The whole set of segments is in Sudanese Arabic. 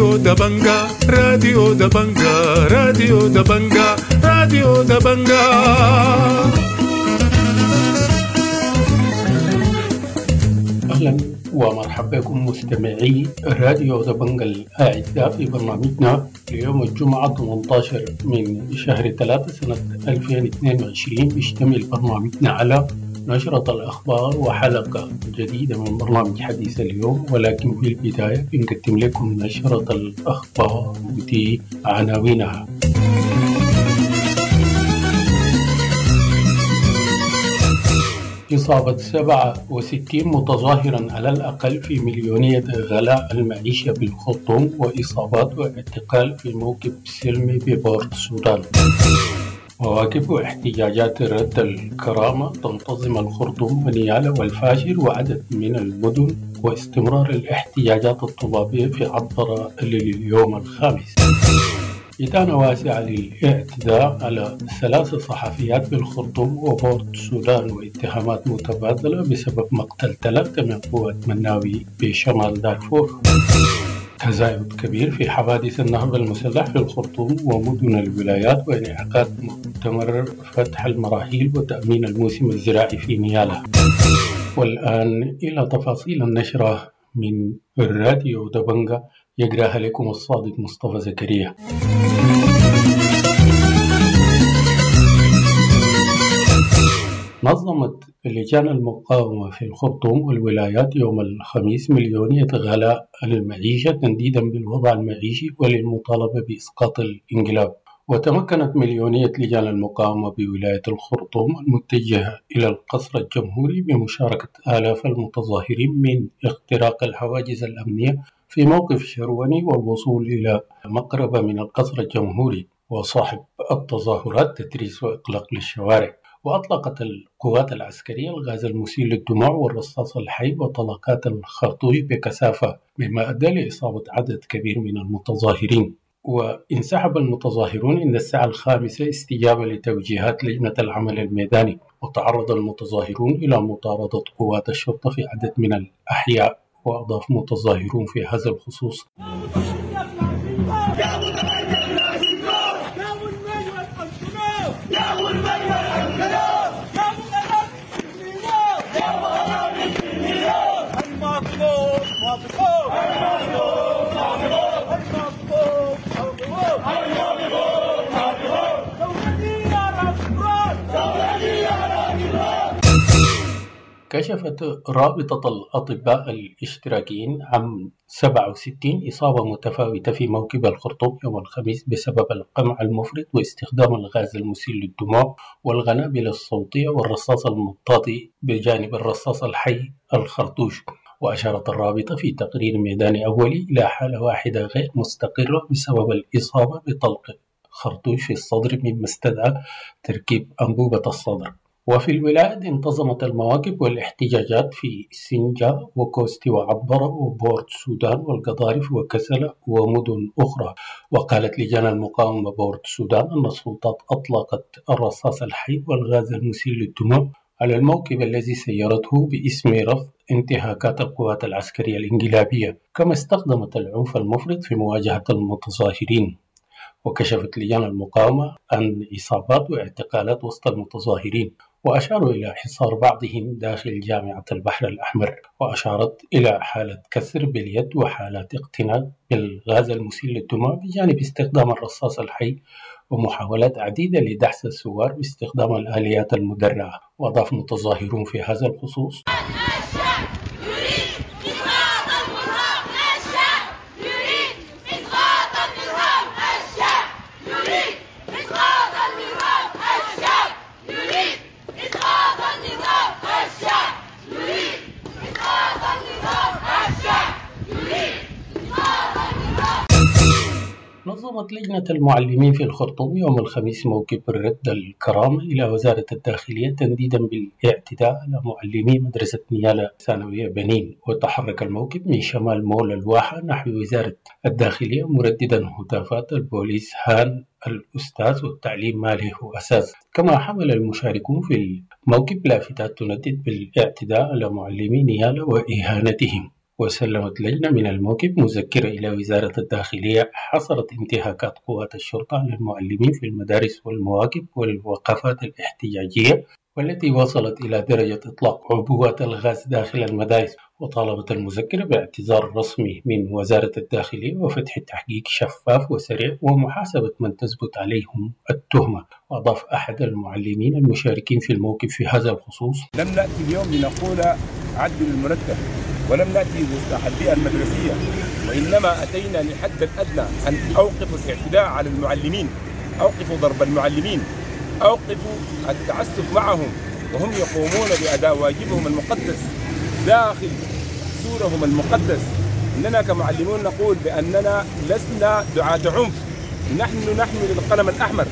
راديو دبنجا، راديو دبنجا، راديو دبنجا، راديو دبنجا. أهلا ومرحبا بكم مستمعي راديو دبنجا الأعزاء في برنامجنا ليوم الجمعة 18 من شهر 3 سنة 2022. بيشتمل برنامجنا على نشرة الأخبار وحلقة جديدة من برنامج حديث اليوم، ولكن في البداية بنقدم لكم نشرة الأخبار ودي عناوينها. إصابة 67 متظاهرا على الأقل في مليونية غلاء المعيشة بالخرطوم، وإصابات واعتقال في موكب سلمي ببورت السودان. مواكب واحتجاجات رد الكرامة تنتظم الخرطوم ونيالا والفاشر وعدد من المدن، واستمرار الاحتجاجات الطلابية في عطبرة لليوم الخامس. إدانة واسعة للاعتداء على 3 صحفيات بالخرطوم وبورت السودان، واتهامات متبادلة بسبب مقتل 3 من قوات مناوي بشمال دارفور. تزايد كبير في حوادث النهب المسلح في الخرطوم ومدن الولايات، وانعقاد مؤتمر فتح المراحيل وتأمين الموسم الزراعي في نيالا. والآن إلى تفاصيل النشرة من الراديو دبنجا، يقراها لكم الصادق مصطفى زكريا. نظمت لجان المقاومة في الخرطوم والولايات يوم الخميس مليونية غلاء المعيشة تنديدا بالوضع المعيشي وللمطالبة بإسقاط الانقلاب. وتمكنت مليونية لجان المقاومة بولاية الخرطوم المتجهة إلى القصر الجمهوري بمشاركة آلاف المتظاهرين من اختراق الحواجز الأمنية في موقف شرواني والوصول إلى مقربة من القصر الجمهوري، وصاحب التظاهرات تتريس وإغلاق للشوارع. وأطلقت القوات العسكرية الغاز المسيل للدموع والرصاص الحي وطلقات الخرطوش بكثافة، مما أدى لإصابة عدد كبير من المتظاهرين. وانسحب المتظاهرون عند الساعة 5 استجابة لتوجيهات لجنة العمل الميداني، وتعرض المتظاهرون إلى مطاردة قوات الشرطة في عدد من الأحياء. وأضاف متظاهرون في هذا الخصوص: كشفت رابطة الأطباء الاشتراكيين عن 67 إصابة متفاوتة في موكب الخرطوم يوم الخميس بسبب القمع المفرط واستخدام الغاز المسيل للدموع والقنابل الصوتية والرصاص المطاطي بجانب الرصاص الحي الخرطوش. وأشارت الرابطة في تقرير ميداني أولي إلى حالة واحدة غير مستقرة بسبب الإصابة بطلق خرطوش في الصدر، مما استدعى تركيب أنبوبة الصدر. وفي الولايات انتظمت المواكب والاحتجاجات في سنجا وكوستي وعبرة وبورت السودان والقضارف وكسلة ومدن أخرى. وقالت لجان المقاومة بورت السودان أن السلطات أطلقت الرصاص الحي والغاز المسيل للدموع على الموكب الذي سيرته باسم رفض انتهاكات القوات العسكرية الانقلابية، كما استخدمت العنف المفرط في مواجهة المتظاهرين. وكشفت لجان المقاومة عن إصابات واعتقالات وسط المتظاهرين، وأشاروا إلى حصار بعضهم داخل جامعة البحر الأحمر، وأشارت إلى حالة كسر باليد وحالات اقتناء بالغاز المسيل للدموع بجانب استخدام الرصاص الحي ومحاولات عديدة لدحس الثوار باستخدام الآليات المدرعة. وأضاف متظاهرون في هذا الخصوص: نظمت لجنة المعلمين في الخرطوم يوم الخميس موكب الرد الكرامة إلى وزارة الداخلية تنديدا بالاعتداء على معلمي مدرسة نيالا ثانوية بنين. وتحرك الموكب من شمال مول الواحة نحو وزارة الداخلية مرددا هتافات البوليس هان الأستاذ والتعليم ما له أساس. كما حمل المشاركون في الموكب لافتات تندد بالاعتداء على معلمي نيالا وإهانتهم. وسلمت لجنة من الموكب مذكرة إلى وزارة الداخلية حصرت انتهاكات قوات الشرطة على المعلمين في المدارس والمواكب والوقفات الاحتجاجية، والتي وصلت إلى درجة إطلاق عبوات الغاز داخل المدارس. وطالبت المذكرة باعتذار رسمي من وزارة الداخلية وفتح تحقيق شفاف وسريع ومحاسبة من تثبت عليهم التهمة. وأضاف أحد المعلمين المشاركين في الموقف في هذا الخصوص: لم نأتي اليوم لنقول عدل المرتب، ولم نأتي لإصلاح البيئة المدرسية، وإنما أتينا للحد الأدنى أن أوقفوا الاعتداء على المعلمين، أوقفوا ضرب المعلمين، أوقفوا التعسف معهم وهم يقومون بأداء واجبهم المقدس داخل سورهم المقدس. إننا كمعلمون نقول بأننا لسنا دعاة عنف، نحن نحمل القلم الأحمر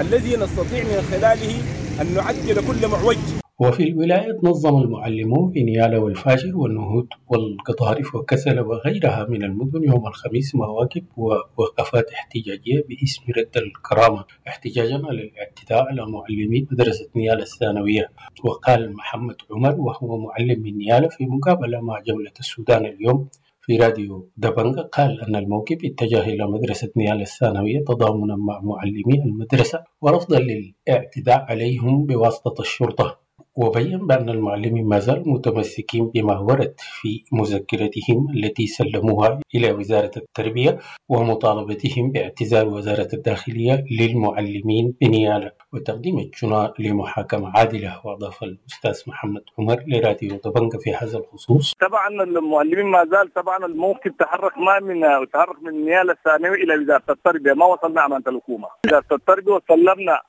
الذي نستطيع من خلاله أن نعدل كل معوج. وفي الولايات نظم المعلمون في نيالا والفاشر والنهود والقضارف وكسلا وغيرها من المدن يوم الخميس مواكب ووقفات احتجاجية باسم رد الكرامة احتجاجا على الاعتداء على معلمي مدرسة نيالا الثانوية. وقال محمد عمر وهو معلم من نيالا في مقابلة مع جولة السودان اليوم في راديو دبنجا، قال أن الموكب اتجه إلى مدرسة نيالا الثانوية تضامنا مع معلمي المدرسة ورفضا للاعتداء عليهم بواسطة الشرطة. وبين بأن المعلمين ما زالوا متمسكين بما ورد في مذكرتهم التي سلموها إلى وزارة التربية ومطالبتهم باعتذار وزارة الداخلية للمعلمين بنيالا وتقديم الجناة لمحاكمة عادلة. وأضاف الأستاذ محمد عمر لراديو دبنجا في هذا الخصوص: طبعا المعلمين ما زال طبعا الموقف تحرك ما من تحرك من نيالا الثانوي إلى وزارة التربية، ما وصلنا أمانة الحكومة. وزارة التربية وسلمنا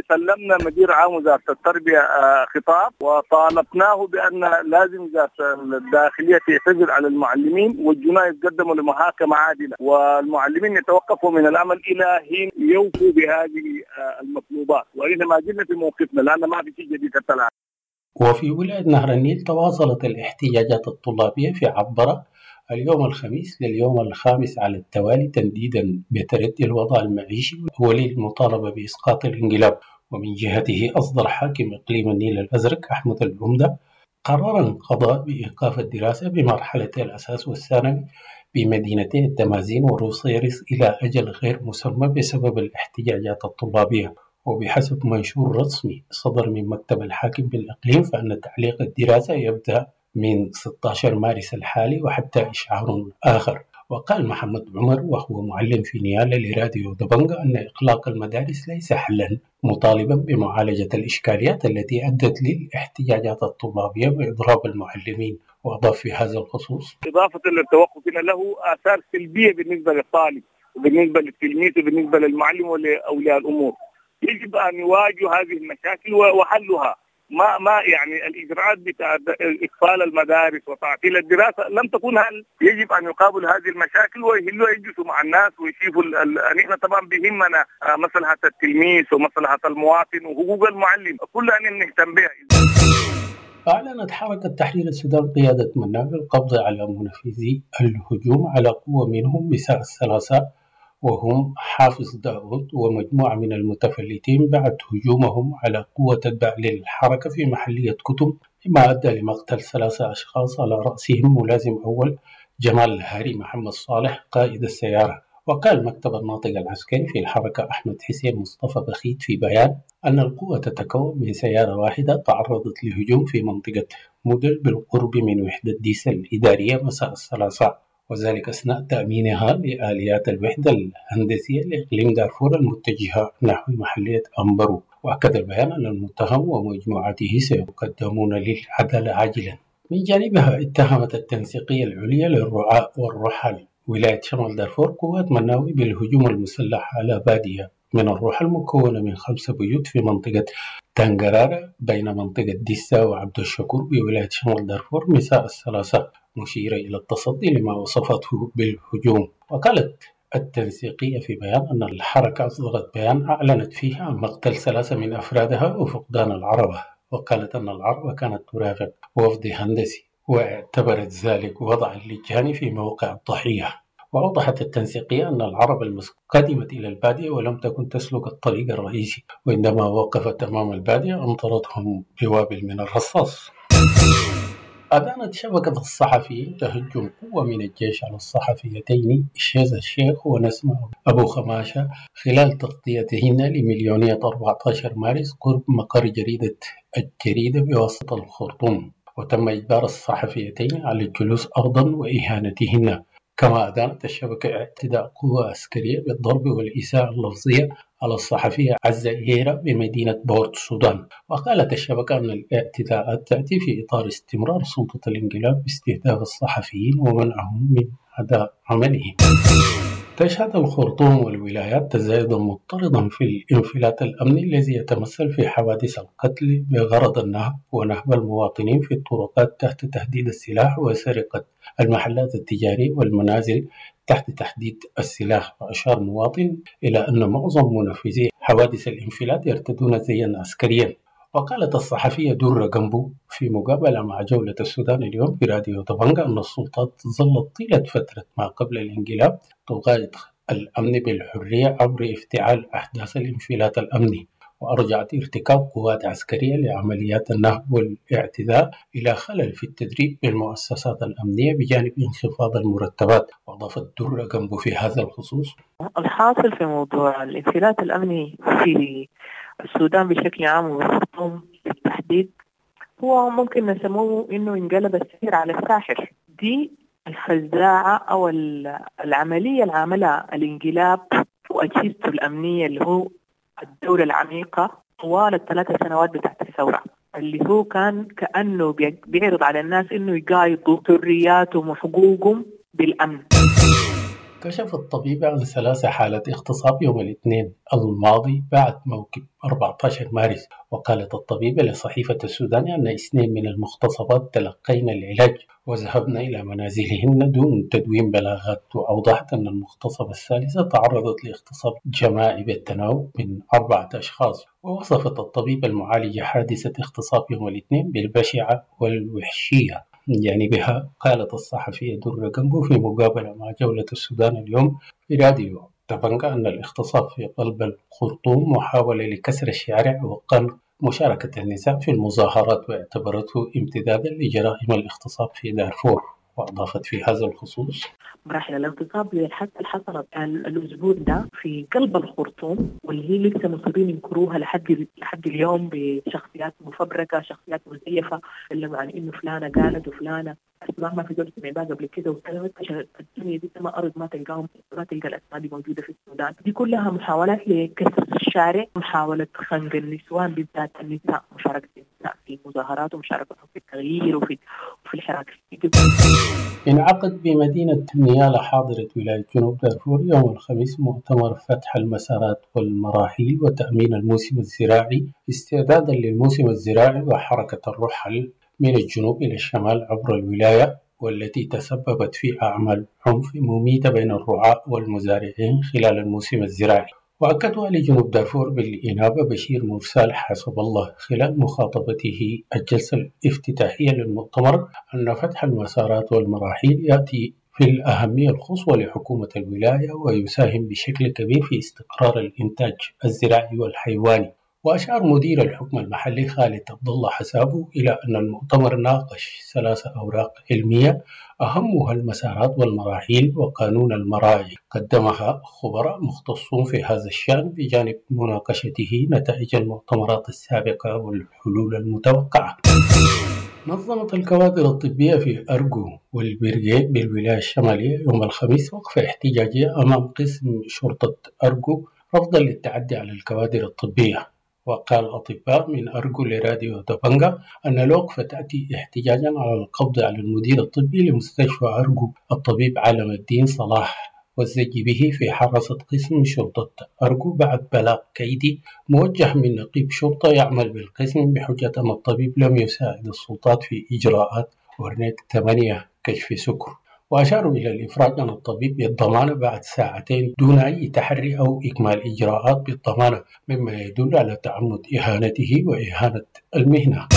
سلمنا مدير عام وزارة التربية خطاب وطالبناه بأن لازم وزارة الداخلية تعتذر على المعلمين والجناة يتقدموا لمحاكمة عادلة، والمعلمين يتوقفوا من العمل إلى حين يوفوا بهذه المطلوبات. وإحنا ما زلنا في موقفنا لأن ما في شيء جديد حتى الآن. وفي ولاية نهر النيل تواصلت الاحتجاجات الطلابية في عبرة اليوم الخميس لليوم الخامس على التوالي تنديدا بتردي الوضع المعيشي وللمطالبة بإسقاط الانقلاب. ومن جهته أصدر حاكم إقليم النيل الأزرق أحمد العمدة قرارا قضاء بإيقاف الدراسة بمرحلتي الأساس والثانوي بمدينتي الدمازين وروصيرص إلى أجل غير مسمى بسبب الاحتجاجات الطلابية. وبحسب منشور رسمي صدر من مكتب الحاكم بالإقليم فإن تعليق الدراسة يبدأ من 16 مارس الحالي وحتى إشعار آخر. وقال محمد عمر وهو معلم في نيالا لراديو دبنجا أن إغلاق المدارس ليس حلا، مطالبا بمعالجة الإشكاليات التي أدت للاحتجاجات الطلابية وإضراب المعلمين. وأضاف في هذا الخصوص: إضافة للتوقف له آثار سلبية بالنسبة للطالب وبالنسبة للتلميذ وبالنسبة للمعلم ولأولياء الأمور. يجب أن يواجهوا هذه المشاكل وحلها. ما يعني الإجراءات بتاع إقفال المدارس وتعطيل الدراسة لم تكن هل. يجب أن يقابلوا هذه المشاكل ويهلوا يجلسوا مع الناس ويشوفوا. نحن طبعا بهمنا مصلحة التلميذ ومصلحة المواطن وحقوق المعلم، كلها نهتم بها. أعلنت حركة تحرير السودان قيادة مناوي القبض على منفذي الهجوم على قوة منهم مساء الثلاثاء، وهم حافظ داود ومجموعة من المتفلتين بعد هجومهم على قوة تتبع للحركة في محلية كتم، مما أدى لمقتل 3 أشخاص على رأسهم ملازم أول جمال الهاري محمد صالح قائد السيارة. وقال مكتب الناطق العسكري في الحركة أحمد حسين مصطفى بخيت في بيان أن القوة تتكون من سيارة واحدة تعرضت لهجوم في منطقة مودل بالقرب من وحدة ديسل الإدارية مساء الثلاثاء، وذلك أثناء تأمينها لآليات الوحدة الهندسية لإقليم دارفور المتجهة نحو محلية أمبرو. وأكد البيان أن المتهم ومجموعته سيقدمون للعدالة عاجلا. من جانبها اتهمت التنسيقية العليا للرعاة والرحل ولاية شمال دارفور قوات مناوي بالهجوم المسلح على بادية من الرحل المكونة من 5 بيوت في منطقة تنجرارة بين منطقة ديسا وعبد الشكور بولاية شمال دارفور مساء الثلاثاء، مشيرة إلى التصدي لما وصفته بالهجوم. وقالت التنسيقية في بيان أن الحركة أصدرت بيان أعلنت فيه عن مقتل 3 من أفرادها وفقدان العربة، وقالت أن العربة كانت ترافق وفد هندسي، واعتبرت ذلك وضعا للجاني في موقع الضحية. وأوضحت التنسيقية أن العربة قدمت إلى البادية ولم تكن تسلك الطريق الرئيسي، وعندما وقفت أمام البادية أمطرتهم بوابل من الرصاص. أدانت شبكة الصحفيين تهجم قوة من الجيش على الصحفيتين شذى الشيخ ونسمة أبو خماشة خلال تغطيتهن لمليونية 14 مارس قرب مقر جريدة الجريدة بوسط الخرطوم، وتم إجبار الصحفيتين على الجلوس أرضا وإهانتهن. كما أدانت الشبكة اعتداء قوة عسكرية بالضرب والإساءة اللفظية على الصحفية عزة إيرا بمدينة بورت السودان. وقالت الشبكة أن الاعتداءات تأتي في إطار استمرار سلطة الانقلاب باستهداف الصحفيين ومنعهم من أداء عملهم. تشهد الخرطوم والولايات تزايدا مضطردا في الانفلات الأمني الذي يتمثل في حوادث القتل بغرض النهب ونهب المواطنين في الطرقات تحت تهديد السلاح وسرقة المحلات التجارية والمنازل تحت تهديد السلاح. وأشار مواطن إلى أن معظم منفذي حوادث الانفلات يرتدون زيا عسكريا. وقالت الصحفية درة جنبو في مقابلة مع جولة السودان اليوم في راديو دبنجا أن السلطات ظلت طيلة فترة ما قبل الانقلاب تقايض الأمن بالحرية عبر افتعال أحداث الانفلات الأمني، وأرجعت ارتكاب قوات عسكرية لعمليات النهب والاعتداء إلى خلل في التدريب بالمؤسسات الأمنية بجانب انخفاض المرتبات. وأضافت درة جنبو في هذا الخصوص: الحاصل في موضوع الانفلات الأمني في السودان بشكل عام والخرطوم بالتحديد هو ممكن نسموه انه انقلب السحر على الساحر. دي الفزاعة او العملية اللي عملها الانقلاب واجهزته الامنية اللي هو الدولة العميقة طوال ال3 سنوات بتاعت الثورة، اللي هو كان كأنه بيعرض على الناس انه يقايضوا حرياتهم وحقوقهم بالامن. كشف الطبيب عن 3 حالات اغتصاب يوم الاثنين الماضي بعد موكب 14 مارس. وقالت الطبيبة لصحيفة السودان أن 2 من المغتصبات تلقين العلاج وذهبن إلى منازلهن دون تدوين بلاغات. وأوضحت أن المغتصبة الثالثة تعرضت لاغتصاب جماعي بالتناوب من 4 أشخاص. ووصفت الطبيبة المعالجة حادثة اغتصاب يوم الاثنين بالبشعة والوحشية. من جانبها قالت الصحفية درة جنبو في مقابلة مع جولة السودان اليوم في راديو دبنجا أن الاغتصاب في قلب الخرطوم محاولة لكسر الشارع وقمع مشاركة النساء في المظاهرات، واعتبرته امتدادا لجرائم الاغتصاب في دارفور. وأضافت في هذا الخصوص: مراحل الاغتصاب للحادثة اللي حصلت الأسبوع ده في قلب الخرطوم، واللي هي لسه مصرين ينكروها لحد اليوم بشخصيات مفبركة، شخصيات مزيفة، تكلموا عن إنه فلانة قالت وفلانة أسماء ما في دول سمع بها قبل كده، وسلمت عشان الدنيا دي ما أرض ما تلقاهم، ما تلقى الأسماء دي موجودة في السودان. دي كلها محاولات لكسر الشارع، محاولة خنق النسوان بالذات النساء، مشاركة النساء في المظاهرات ومشاركتهم في التغيير وفي الحراك. انعقد بمدينة نيالا حاضرة ولاية جنوب دارفور يوم الخميس مؤتمر فتح المسارات والمراحيل وتأمين الموسم الزراعي استعدادا للموسم الزراعي وحركة الرحل من الجنوب إلى الشمال عبر الولاية، والتي تسببت في أعمال عنف مميتة بين الرعاة والمزارعين خلال الموسم الزراعي. وأكد والي جنوب دارفور بالإنابة بشير مرسال حسب الله خلال مخاطبته الجلسة الافتتاحية للمؤتمر أن فتح المسارات والمراحيل يأتي في الأهمية القصوى لحكومة الولاية ويساهم بشكل كبير في استقرار الإنتاج الزراعي والحيواني. وأشار مدير الحكم المحلي خالد عبد الله حسابه إلى أن المؤتمر ناقش 3 أوراق علمية أهمها المسارات والمراحيل وقانون المراعي قدمها خبراء مختصون في هذا الشأن، بجانب مناقشته نتائج المؤتمرات السابقة والحلول المتوقعة. نظمت الكوادر الطبية في أرجو والبرجيت بالولاية الشمالية يوم الخميس وقفة احتجاجية أمام قسم شرطة أرجو رفضا للتعدي على الكوادر الطبية. وقال أطباء من أرجو لراديو دبنجا أن الوقفة تأتي احتجاجا على القبض على المدير الطبي لمستشفى أرجو الطبيب علم الدين صلاح والزج به في حراسة قسم شرطة أرجو بعد بلاغ كيدي موجه من نقيب شرطة يعمل بالقسم بحجة أن الطبيب لم يساعد السلطات في إجراءات ورنيك 8 كشف سكر. وأشاروا إلى الإفراج عن الطبيب بالضمانة بعد ساعتين دون أي تحري أو إكمال إجراءات بالضمانة، مما يدل على تعمد إهانته وإهانة المهنة.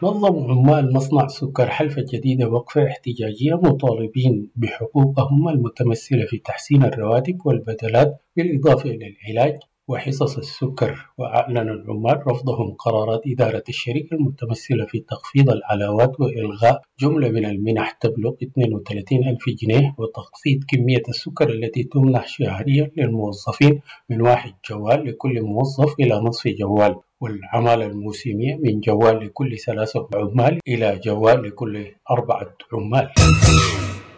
نظم عمال مصنع سكر حلفة الجديدة وقفة احتجاجية مطالبين بحقوقهم المتمثلة في تحسين الرواتب والبدلات بالإضافة إلى العلاج وحصص السكر. وأعلن العمال رفضهم قرارات إدارة الشركة المتمثلة في تخفيض العلاوات وإلغاء جملة من المنح تبلغ 32 ألف جنيه وتخفيض كمية السكر التي تمنح شهريا للموظفين من 1 جوال لكل موظف إلى نصف جوال، والعمالة الموسمية من جوال لكل 3 عمال إلى جوال لكل 4 عمال.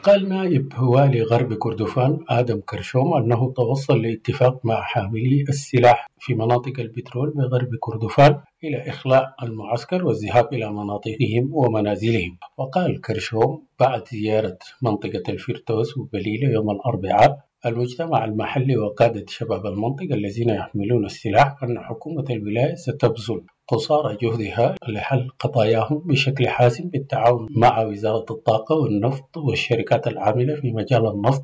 قال نائب والي غرب كردفان آدم كرشوم أنه توصل لاتفاق مع حاملي السلاح في مناطق البترول بغرب كردفان إلى إخلاء المعسكر والذهاب إلى مناطقهم ومنازلهم. وقال كرشوم بعد زيارة منطقة الفردوس وبليلة يوم الأربعاء المجتمع المحلي وقادة شباب المنطقة الذين يحملون السلاح أن حكومة الولاية ستبذل قصارى جهدها لحل قضاياهم بشكل حاسم بالتعاون مع وزارة الطاقة والنفط والشركات العاملة في مجال النفط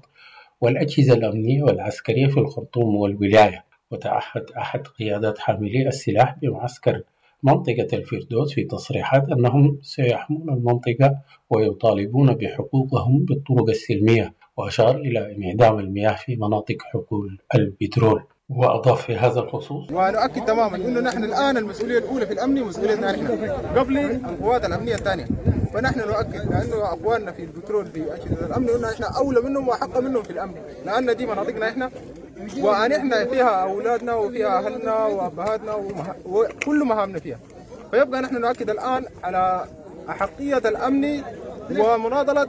والأجهزة الأمنية والعسكرية في الخرطوم والولاية. وتعهد أحد قيادات حاملي السلاح بمعسكر منطقة الفردوس في تصريحات أنهم سيحمون المنطقة ويطالبون بحقوقهم بالطرق السلمية، وأشار إلى انعدام المياه في مناطق حقول البترول. وأضاف في هذا الخصوص: ونؤكد تماما أنه نحن الآن المسؤولية الأولى في الأمن مسؤوليتنا نحن قبل القوات الأمنية الثانية، فنحن نؤكد لأنه أقوالنا في البترول في أجهزة الأمن أنه نحن أولى منهم وأحق منهم في الأمن، لأن دي مناطقنا إحنا ونحن فيها أولادنا وفيها أهلنا وأبهاتنا وكل مهامنا فيها. فيبقى نحن نؤكد الآن على أحقية الأمن ومناضلة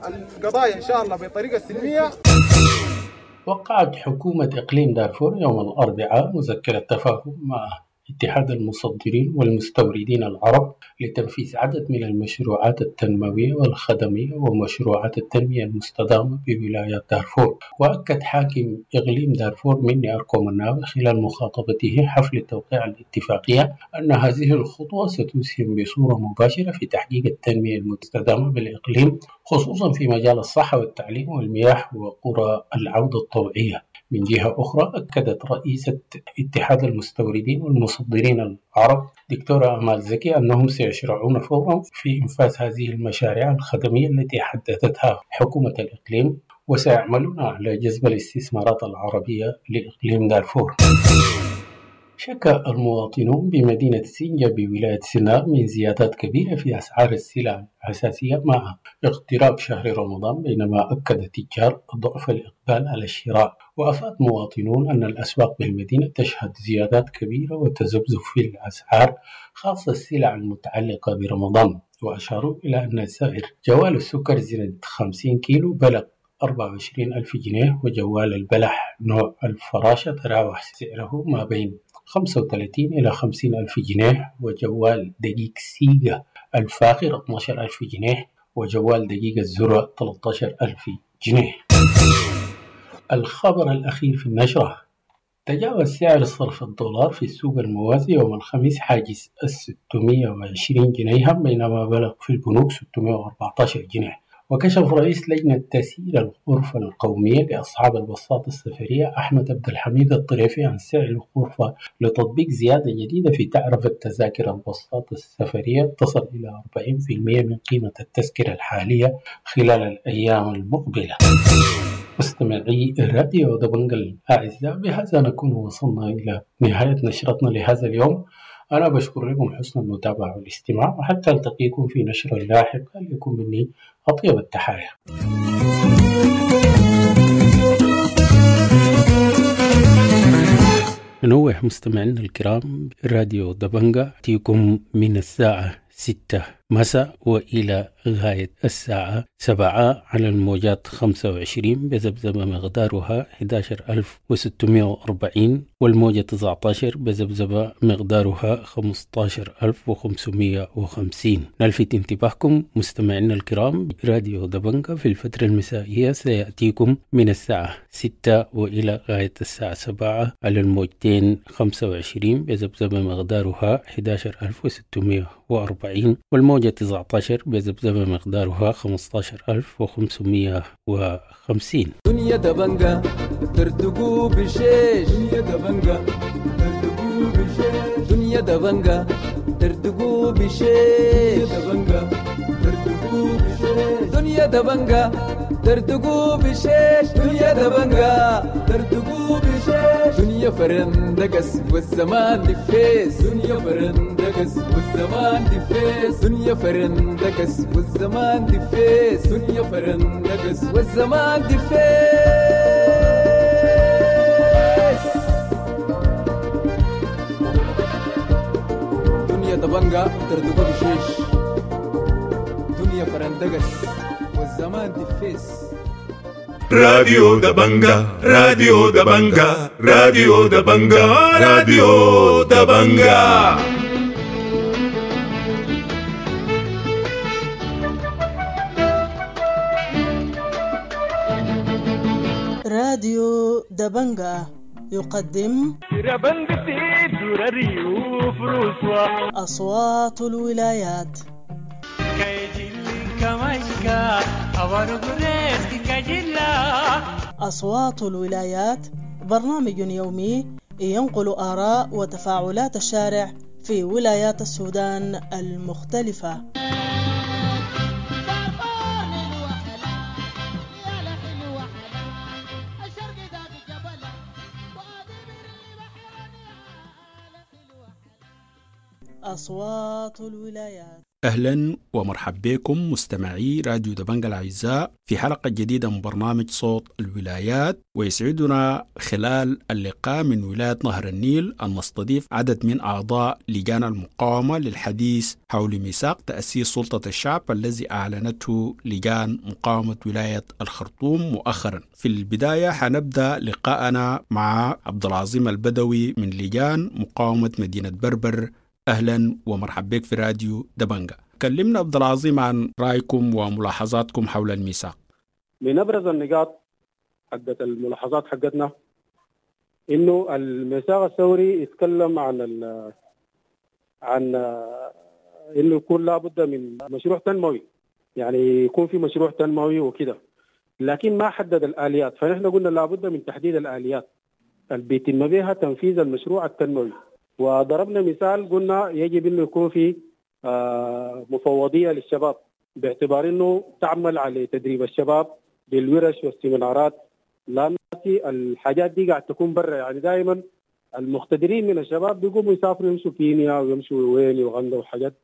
القضايا إن شاء الله بطريقة سلمية. وقعت حكومة إقليم دارفور يوم الأربعاء مذكرة تفاهم مع اتحاد المصدرين والمستوردين العرب لتنفيذ عدد من المشروعات التنموية والخدمية ومشروعات التنمية المستدامة بولاية دارفور. وأكد حاكم إقليم دارفور مني أركو مناوي خلال مخاطبته حفل توقيع الاتفاقية أن هذه الخطوة ستسهم بصورة مباشرة في تحقيق التنمية المستدامة بالإقليم، خصوصا في مجال الصحة والتعليم والمياه وقرى العودة الطوعية. من جهة أخرى، أكدت رئيسة اتحاد المستوردين والمصدرين العرب دكتورة أمال زكي أنهم سيشرعون فورا في إنفاذ هذه المشاريع الخدمية التي حددتها حكومة الإقليم، وسيعملون على جذب الاستثمارات العربية لإقليم دارفور. شكى المواطنون بمدينة سنجة بولاية سنار من زيادات كبيرة في أسعار السلع الأساسية مع اقتراب شهر رمضان، بينما أكد تجار ضعف الإقبال على الشراء. وأفاد مواطنون أن الأسواق بالمدينة تشهد زيادات كبيرة وتذبذب في الأسعار، خاصة السلع المتعلقة برمضان. وأشاروا إلى أن سعر جوال السكر زنة 50 كيلو بلغ 24 ألف جنيه، وجوال البلح نوع الفراشة تراوح سعره ما بين 35 إلى 50 ألف جنيه، وجوال دقيق سيجا الفاخر 12 ألف جنيه، وجوال دقيق الذرة 13 ألف جنيه. الخبر الأخير في النشرة: تجاوز سعر صرف الدولار في السوق الموازي يوم الخميس حاجز 620 جنيها، بينما بلغ في البنوك 614 جنيه. وكشف رئيس لجنة تسيير الغرفة القومية لأصحاب البساط السفرية أحمد عبد الحميد الطريفي عن سعر الغرفة لتطبيق زيادة جديدة في تعرفة تذاكر البساط السفرية تصل إلى 40% من قيمة التذكرة الحالية خلال الأيام المقبلة. مستمعي راديو دبنجا الأعزاء، بهذا نكون وصلنا إلى نهاية نشرتنا لهذا اليوم. أنا بشكر لكم حسن المتابعة والاستماع، وحتى ألتقيكم في نشرة لاحقة لكم مني أطيب التحايا. ننوه مستمعينا الكرام، راديو دبنجا تيكم من الساعة 6 مساء وإلى غاية الساعة 7 على الموجات 25 بذبذبة مقدارها 11640، والموجة 19 بذبذبة مقدارها 15550. نلفت انتباهكم مستمعينا الكرام، راديو دبنجا في الفترة المسائية سيأتيكم من الساعة 6 وإلى غاية الساعة 7 على الموجتين 25 بذبذبة مقدارها 11640، والموجة 19 بذبذبة مقدارها 15550. دنيا دبنجا ترتقو بشيش، دنيا دبنجا ترتقو بشيش، دنيا دبنجا ترتقو بشيش، دنيا دبنجا ترتقو بشيش، دنيا دبنجا دردقوا بشيش دنيا دبنجا دردقوا بشيش دنيا فرندقس والزمان دفيس دنيا فرندقس والزمان دفيس دنيا فرندقس والزمان دفيس دنيا فرندقس والزمان دفيس. دنيا دبنجا دردقوا بشيش دنيا فرندقس والزمان دفيس. راديو دبنجا، راديو دبنجا، راديو دبنجا، راديو دبنجا. راديو دبنجا يقدم أصوات الولايات. أصوات الولايات برنامج يومي ينقل آراء وتفاعلات الشارع في ولايات السودان المختلفة. أصوات الولايات. أهلا ومرحبا بكم مستمعي راديو دبنجا الأعزاء في حلقة جديدة من برنامج صوت الولايات، ويسعدنا خلال اللقاء من ولاية نهر النيل أن نستضيف عدد من أعضاء لجان المقاومة للحديث حول ميثاق تأسيس سلطة الشعب الذي أعلنته لجان مقاومة ولاية الخرطوم مؤخرا. في البداية حنبدأ لقاءنا مع عبد العظيم البدوي من لجان مقاومة مدينة بربر. أهلا ومرحبا بك في راديو دبنجا. كلمنا عبد العظيم عن رأيكم وملاحظاتكم حول الميثاق. من أبرز النقاط حقت الملاحظات حقتنا إنه الميثاق الثوري يتكلم عن إنه يكون لابد من مشروع تنموي، يعني يكون في مشروع تنموي وكده، لكن ما حدد الآليات. فنحن قلنا لابد من تحديد الآليات اللي بيتم بها تنفيذ المشروع التنموي، وضربنا مثال قلنا يجب انه يكون في مفوضيه للشباب، باعتبار انه تعمل على تدريب الشباب بالورش والسيمينارات، لان الحاجات دي قاعد تكون برا. يعني دائما المقتدرين من الشباب بيقوموا يسافروا يمشوا كينيا ويمشوا وين يوغندا وحاجات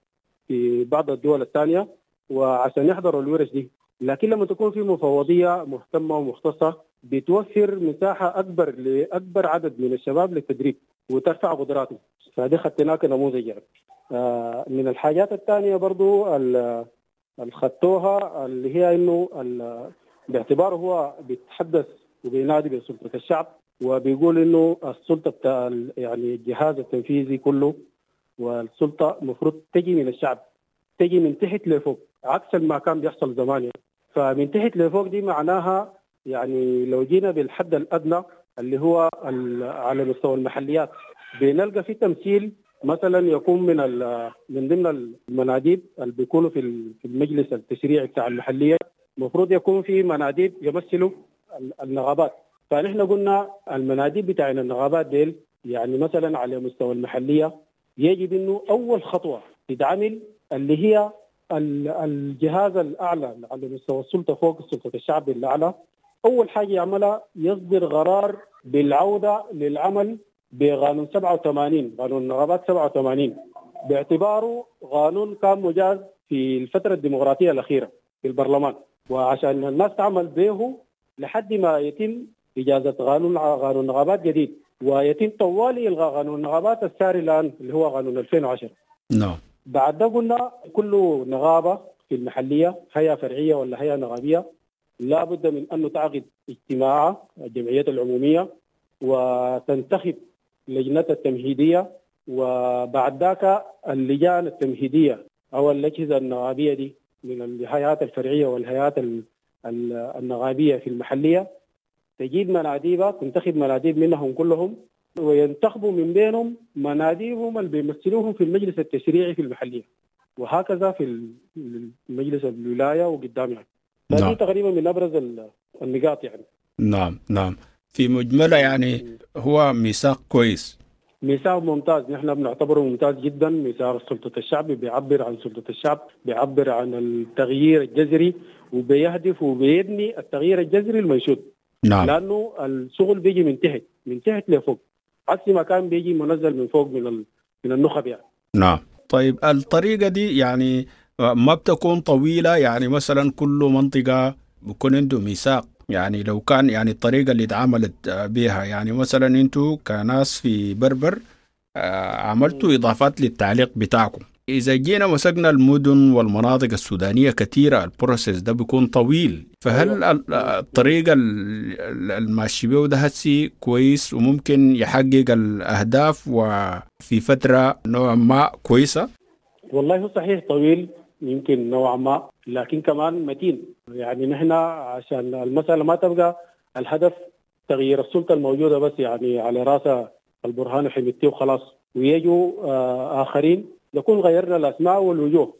في بعض الدول الثانيه وعشان يحضروا الورش دي. لكن لما تكون في مفوضيه مهتمه ومختصه بتوفر مساحه اكبر لاكبر عدد من الشباب للتدريب وترفع قدراتهم، فدي خدناها كنموذج يعني. من الحاجات الثانية برضو اللي خدتوها اللي هي إنه باعتباره هو بيتحدث وبينادي بسلطة الشعب، وبيقول إنه السلطة بتاع يعني الجهاز التنفيذي كله والسلطة المفروض تجي من الشعب، تجي من تحت لفوق، عكس ما كان بيحصل زمان يعني. فمن تحت لفوق دي معناها يعني لو جينا بالحد الأدنى اللي هو على مستوى المحليات بنلقى في تمثيل مثلا يكون من ضمن المناديب اللي بيكونوا في المجلس التشريعي بتاع المحليه، المفروض يكون في مناديب يمثلوا النغابات. فنحن قلنا المناديب بتاعنا النغابات ديل يعني مثلا على مستوى المحليه يجب انه اول خطوه تتعمل اللي هي الجهاز الاعلى على مستوى السلطه فوق سلطه الشعب الاعلى، أول حاجة يعملها يصدر قرار بالعودة للعمل بقانون 87، قانون النغابات 87، باعتباره قانون كان مجاز في الفترة الديمقراطية الأخيرة في البرلمان، وعشان الناس تعمل به لحد ما يتم إجازة قانون نغابات جديد، ويتم طوالي إلغاء قانون النغابات الساري الآن اللي هو قانون 2010. نعم. بعد ده قلنا كل نغابة في المحلية هيئة فرعية ولا هيئة نغابية لا بد من أن تعقد اجتماع الجمعيات العمومية وتنتخب لجنة التمهيدية، وبعد ذاك اللجان التمهيدية أو الأجهزة النغابية دي من الهيئات الفرعية والهيئات النغابية في المحلية تجيب مناديبها، تنتخب مناديب منهم كلهم، وينتخبوا من بينهم مناديبهم اللي بيمثلوهم في المجلس التشريعي في المحلية، وهكذا في المجلس الولاية وقدام يعني. نعم. تقريبا من أبرز النقاط يعني. نعم نعم. في مجمله يعني هو ميثاق كويس. ميثاق ممتاز، نحن بنعتبره ممتاز جدا. ميثاق سلطة الشعب بيعبر عن سلطة الشعب، بيعبر عن التغيير الجذري، وبيهدف وبيبني التغيير الجذري المنشود. نعم. لأنه الشغل بيجي من تحت، من تحت لفوق، عكس ما كان بيجي منزل من فوق من النخب يعني. نعم. طيب الطريقة دي يعني ما بتكون طويلة، يعني مثلا كل منطقة بيكون عنده ميثاق، يعني لو كان يعني الطريقة اللي اتعاملت بها، يعني مثلا انتوا كناس في بربر عملتوا إضافات للتعليق بتاعكم. إذا جينا مسكنا المدن والمناطق السودانية كثيرة، ال process ده بيكون طويل، فهل الطريقة الماشي بيه ده هسي كويس وممكن يحقق الأهداف وفي فترة نوعا ما كويسة؟ والله هو صحيح طويل يمكن نوعا ما، لكن كمان متين. يعني نحن عشان المسألة ما تبقى الهدف تغيير السلطة الموجودة بس، يعني على رأسها البرهان وحميدتي وخلاص، ويجوا آخرين، نكون غيرنا الأسماء والوجوه،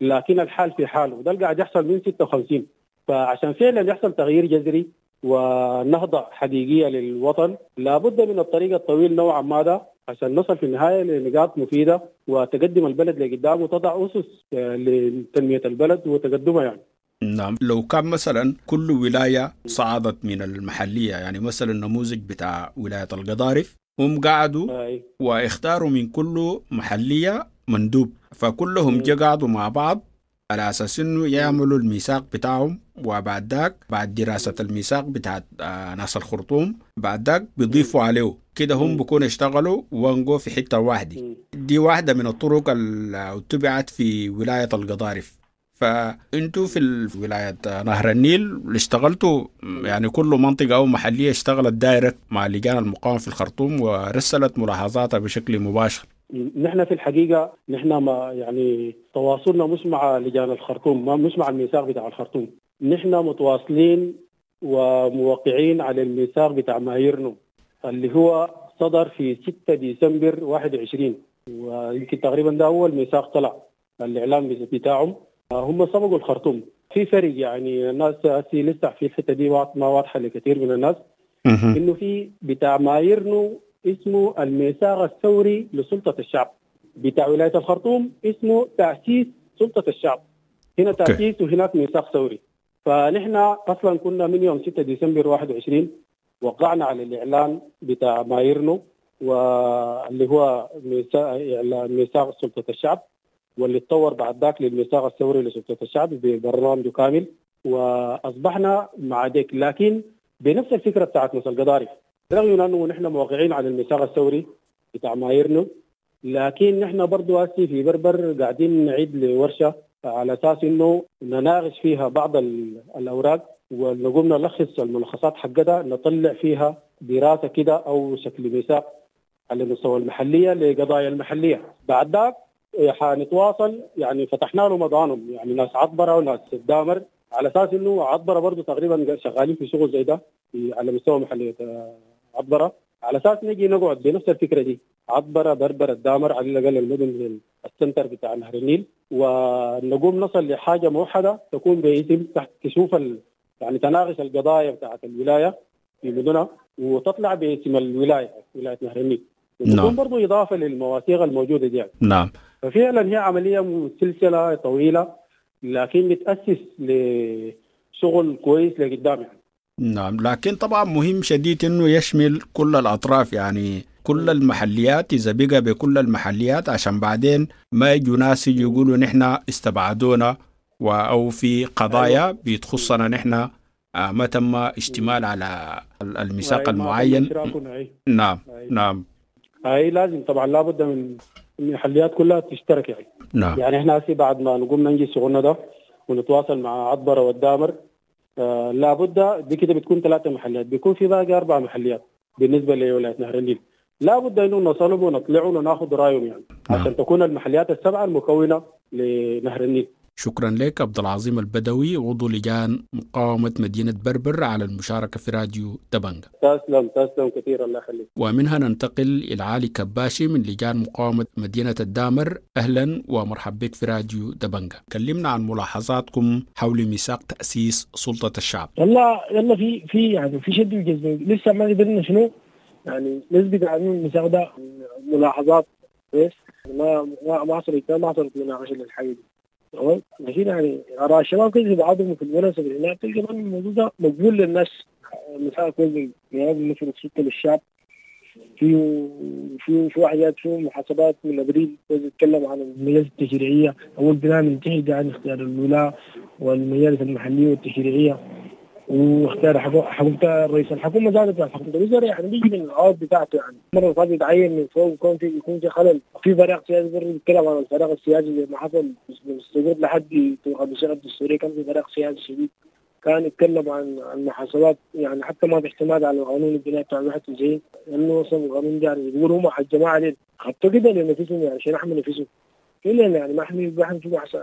لكن الحال في حاله، وده اللي قاعد يحصل من 56. فعشان فعلا يحصل تغيير جذري ونهضة حقيقية للوطن، لابد من الطريق الطويل نوعا ما ده، عشان نصل في النهاية لنقاط مفيدة وتقدم البلد لقدام وتضع أسس لتنمية البلد وتقدمها يعني. نعم. لو كان مثلا كل ولاية صعدت من المحلية، يعني مثلا النموذج بتاع ولاية القضارف، هم قعدوا واختاروا من كل محلية مندوب، فكلهم جا قعدوا مع بعض على أساس إنه يعملوا الميثاق بتاعهم، وبعد ذاك بعد دراسة الميثاق بتاع ناس الخرطوم بعد ذاك بيضيفوا عليه كده، هم بيكونوا اشتغلوا وانقوا في حتة واحدة. دي واحدة من الطرق اللي اتبعت في ولاية القضارف. فانتوا في ولاية نهر النيل اشتغلتوا يعني كل منطقة أو محلية اشتغلت دايركت مع لجان المقاومة في الخرطوم ورسلت ملاحظاتها بشكل مباشر. نحن في الحقيقة نحن ما يعني تواصلنا مش مع لجان الخرطوم، مش مع الميثاق بتاع الخرطوم، نحن متواصلين وموقعين على الميثاق بتاع مايرنو اللي هو صدر في 6 ديسمبر 21، ويمكن تقريبا ده أول ميثاق طلع الإعلام بتاعهم. هم سبقوا الخرطوم في فرق، يعني الناس لسه في الحتة دي ما واضحة لكثير من الناس، إنه في بتاع مايرنو اسمه الميثاق الثوري لسلطة الشعب، بتاع ولاية الخرطوم اسمه تأسيس سلطة الشعب، هنا تأسيس وهناك ميثاق ثوري. فنحن أصلا كنا من يوم 6 ديسمبر 21 وقعنا على الإعلان بتاع مايرنو واللي هو ميثاق سلطة الشعب، واللي تطور بعد ذاك للميثاق الثوري لسلطة الشعب ببرنامجه كامل، وأصبحنا مع ديك، لكن بنفس الفكرة بتاعت ناس القضارف، رغم من أنه نحن موقعين على الميثاق الثوري بتاع مايرنو، لكن نحن برضو هسي في بربر قاعدين نعيد لورشة على أساس إنه نناقش فيها بعض الأوراق ونقوم نلخص الملخصات حقتها، نطلع فيها دراسة كده أو شكل ميثاق على مستوى المحلية لقضايا المحلية. بعد ذاك حنتواصل، يعني فتحنا له مضانهم، يعني ناس عطبرة وناس الدامر، على أساس إنه عطبرة برضو تقريبا شغالين في شغل زي ده على مستوى محلية عطبرة، على أساس نجي نقعد بنفس الفكرة دي، عطبرة بربر الدامر على الأقل المدن ال center بتاع نهر النيل، ونقوم نصل لحاجة موحدة تكون باسم تحت تشوف يعني تناقش القضايا بتاعت الولاية في مدنها وتطلع باسم الولاية، ولاية نهر النيل، وتكون برضو إضافة للمواثيق الموجودة دي يعني. نعم. ففعلا هي عملية سلسلة طويلة، لكن بتأسس لشغل كويس لقدام يعني. نعم، لكن طبعا مهم شديد انه يشمل كل الاطراف، يعني كل المحليات، اذا بقى بكل المحليات عشان بعدين ما يجوا ناس يقولوا نحن استبعدونا او في قضايا بتخصنا نحن ما تم اشتمال على الميثاق المعين. نعم. نعم. اي لازم طبعا لابد من المحليات كلها تشترك يعني. نعم. يعني احنا هسي بعد ما نقوم ننجز شغلنا ده ونتواصل مع عطبرة والدامر، لابد دي كده بتكون 3 محليات، بيكون في باقي 4 محليات بالنسبة لولاية نهر النيل، لابد انه نصلهم ونطلعهم وناخذ رايهم يعني. نعم. عشان تكون المحليات 7 المكونة لنهر النيل. شكرا لك عبد العظيم البدوي، عضو لجان مقاومة مدينة بربر، على المشاركة في راديو دبنجة. تسلم تسلم كثير، الله يخليك. ومنها ننتقل إلى علي كباشي من لجان مقاومة مدينة الدامر. أهلا ومرحبا بك في راديو دبنجة. كلمنا عن ملاحظاتكم حول ميثاق تأسيس سلطة الشعب. يلا يلا في يعني في شد وجذب، لسه ما قدرنا شنو يعني نسبة عن الميثاق ده ملاحظات بس، ما ما ما حصلت ما حصلت مناقشة للحاجة دي. تمام؟ لكن يعني اراء الشباب كده في بعضهم في المناسبة هناك تلقى الموضوع ده مقبول للناس. الميثاق كويس بيمثل السلطة للشعب، فيه حاجات، فيه محاسبات من ابريل بيتكلم عن المجالس التشريعية، اول بناء من تحت عن اختيار الولاة والمجالس المحلية والتشريعيه، واختيار حكومة رئيس الحكومة زادت عن حكومة الوزراء، يعني بيجي من العوض بتاعته. يعني المرة اللي فاتت يتعين من فوق ويكون في يكون في خلل في فراغ سياسي. برضه بيتكلم عن الفراغ السياسي زي ما حصل من السقوط لحد الصيغة الدستورية، كان في فراغ سياسي شديد. كان يتكلم عن المحاسبات، يعني حتى ما في اعتماد على القانون الجنائي بتاع 91، لانه اصلا القانون ده يعني بيقولوا هم على الجماعة دي خدتوا كده لنفسهم، يعني عشان يحموا نفسهم كلنا، يعني ما احنا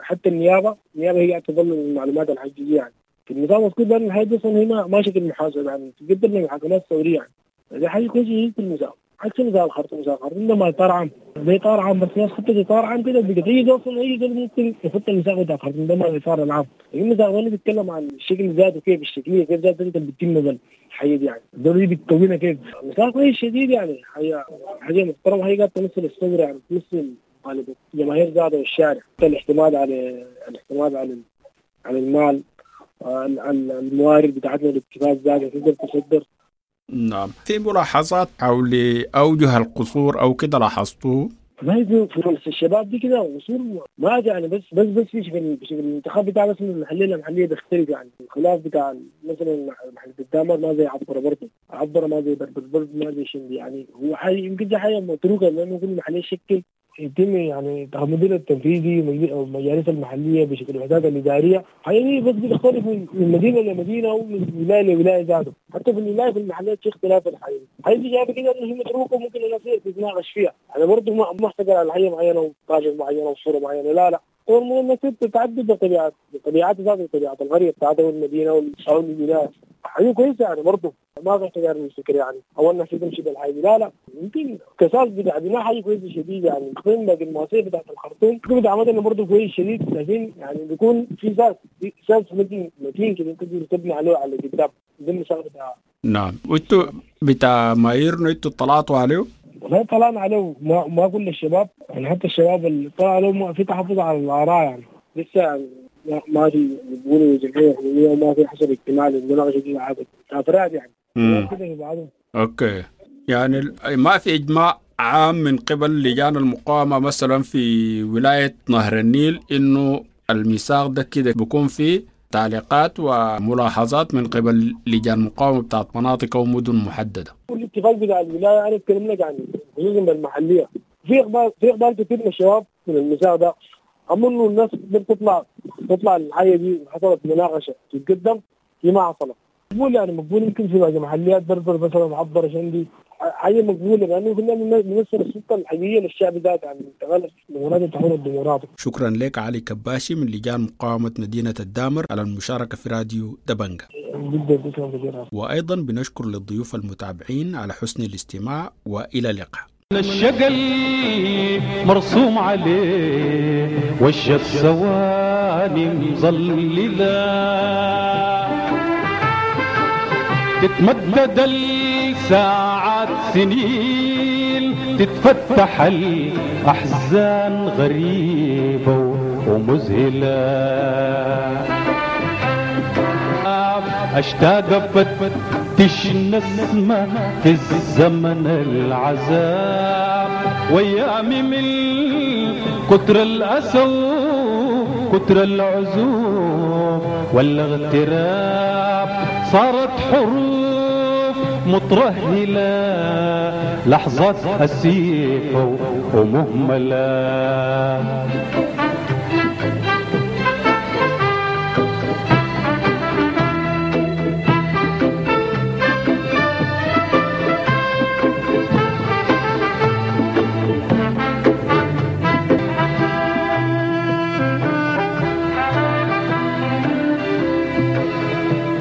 حتى النيابة هي تظل المعلومات الحقيقية. يعني في النظام المذكور ده الحاجة دي اصلا هنا ما شكل محاسبه، يعني تقدم للمحاكمات الثورية، يعني دي حاجة كويسة في النظام. عكس نظام الخرطوم، نظام الخرطوم ده ما اطار عام، ده اطار عام بس الناس خطت اطار عام كده بقت اي اصلا اي زول ممكن يخط الميثاق بتاع الخرطوم ده ما الاطار العام. الميثاق ده بيتكلم عن الشكل ذاته كيف، الشكليه كيف ذاته انت بتتم الحاجة دي، يعني الدولة دي بتكونها كيف. الميثاق كويس شديد، يعني حاجة محترمه، هي قاعدة تمثل الثورة، يعني تمثل غالبا الجماهير ذاته والشارع، الاعتماد على على المال، الموارد بتاعتنا، الاكتفاء ذاته تقدر تصدر. نعم، في ملاحظات حول أوجه القصور أو كده لاحظتوه؟ ما هي في الشباب دي كده قصور ما يعني بس بس بس في شكل الانتخاب بتاع بس من المحلية للمحليه بيختلف. يعني الخلاف بتاع مثلا محل الدامر ما زي عبره، برضه عبره ما زي بربر، برضه ما زي شندي. يعني هو حاجة يمكن دي حاجة متروكة، لانه كل محليه شكل يتم يعني المدير التنفيذي او المجالس المحلية بشكل الوحدات الادارية. حاجة دي بس بتختلف من مدينة لمدينة ومن ولاية لولاية ذاته، حتى في الولاية في المحليات في اختلاف الحاجة. الحاجة دي جايبه كده انه هي متروكة وممكن الناس تتناقش فيها. انا برضه ما احتكر على حاجة معينة وطاجه معينة وصوره معينة، لا لا، هو الناس تتعدد بطبيعات بطبيعات ذات طبيعة القرية بتاعتها والمدينة او الولاية. حاجة كويسة يعني برضه ما في احتكار للفكر، يعني او الناس تمشي بالحاجة، لا لا، يمكن كساس بتاع بناء حاجة كويسة شديد. يعني تقييم باقي المواسير بتاعت الخرطوم بتاع مدني برضه كويس شديد، لكن يعني بيكون في ساس متين كده تقدر تبني عليه على قدام ضمن المساحة بتاع. نعم، وانتوا بتاع مايرنو انتوا طلعتوا عليه؟ والله طلعنا عليه، ما كل الشباب، يعني حتى الشباب اللي طلع عليه في تحفظ على الاراء، يعني لسه يعني ما في بيقولوا جمعية حكومية وما في حصل اجتماع للمناقشه دي عادة افراد يعني كده. okay، يعني ما في اجماع عام من قبل لجان المقاومة مثلا في ولاية نهر النيل انه الميثاق ده كده بيكون فيه تعليقات وملاحظات من قبل لجان مقاومة بتاعت مناطق او مدن محددة. الاتفاق بتاع الولاية انا اتكلم لك عن خصوصا بالمحليه، في اقبال كثير من الشباب من الميثاق ده، اما انه الناس تطلع الحاجة دي حصلت مناقشة تتقدم، دي ما حصلت. مقبول يعني مقبول، يمكن في بعض المحليات بربر مثلا عبر شندي حاجة مقبولة، لانه كنا بنمثل السلطة الحقيقية للشعب ذاته، يعني انتقال لمراد التحول الديمقراطي. شكرا لك علي كباشي من لجان مقاومة مدينة الدامر على المشاركة في راديو دبنجا. جدا شكرا كثيرا. وايضا بنشكر للضيوف المتابعين على حسن الاستماع، والى اللقاء. الشقل مرسوم عليه وش الثواني مظللة، تتمدد الساعات سنين، تتفتح الأحزان غريبة ومذهلة. أشتاق أفتش نسمة في الزمن العذاب، وأيامي من كتر الأسى وكتر العزوب والاغتراب صارت حروف مترهلة، لحظات أسيفة ومهملة.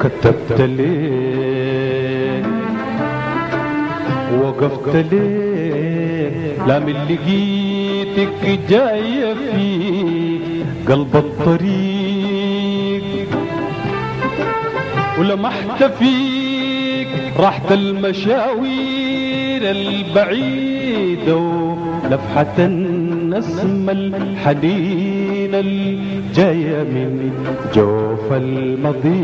كتبت ليه وقفت ليه، لا من لقيتك جاية في قلب الطريق، ولمحت فيك راحة المشاوير الشجيرة البعيدة ولفحة النسمة الحنينة الجاية من جوف المضيق.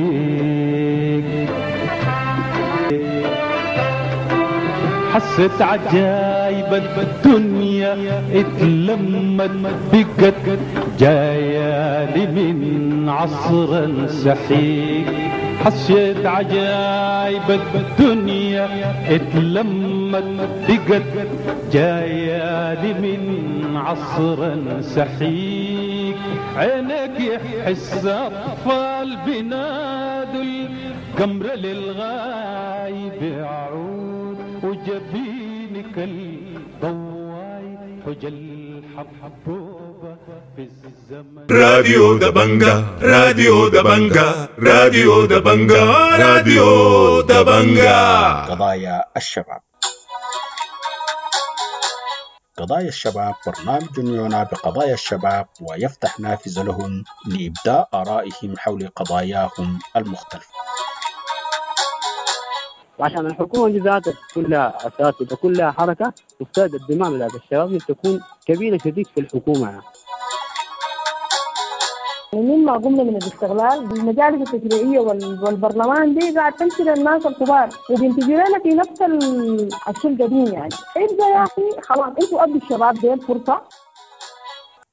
حست عجايب الدنيا اتلمت بقت جاية لي من عصر سحيق. حسيت عجايب الدنيا اتلمت بقت جاية لي من عصر سحيق. عينك يحس أطفال بنادوا القمر للغايب عود، وجبينك الضواي حجل حبوبة في الزمن. راديو دبنجا، راديو دبنجا، راديو دبنجا، راديو دبنجا. قضايا الشباب. قضايا الشباب برنامج يعنى بقضايا الشباب ويفتح نافذة لهم لإبداء آرائهم حول قضاياهم المختلفة. وعشان الحكومة دي ذاتها كلها أساتذة كلها حركة، تفترض الدماء بتاعت الشباب تكون كبيرة شديد في الحكومة يعني. مما قمنا من الاستغلال المجالس التشريعية والبرلمان دي قاعد تمشي للناس الكبار وبينتجوا لنا في نفس الشيء القديم يعني. ابدا يا أخي خلاص انتوا ادوا الشباب دي الفرصة.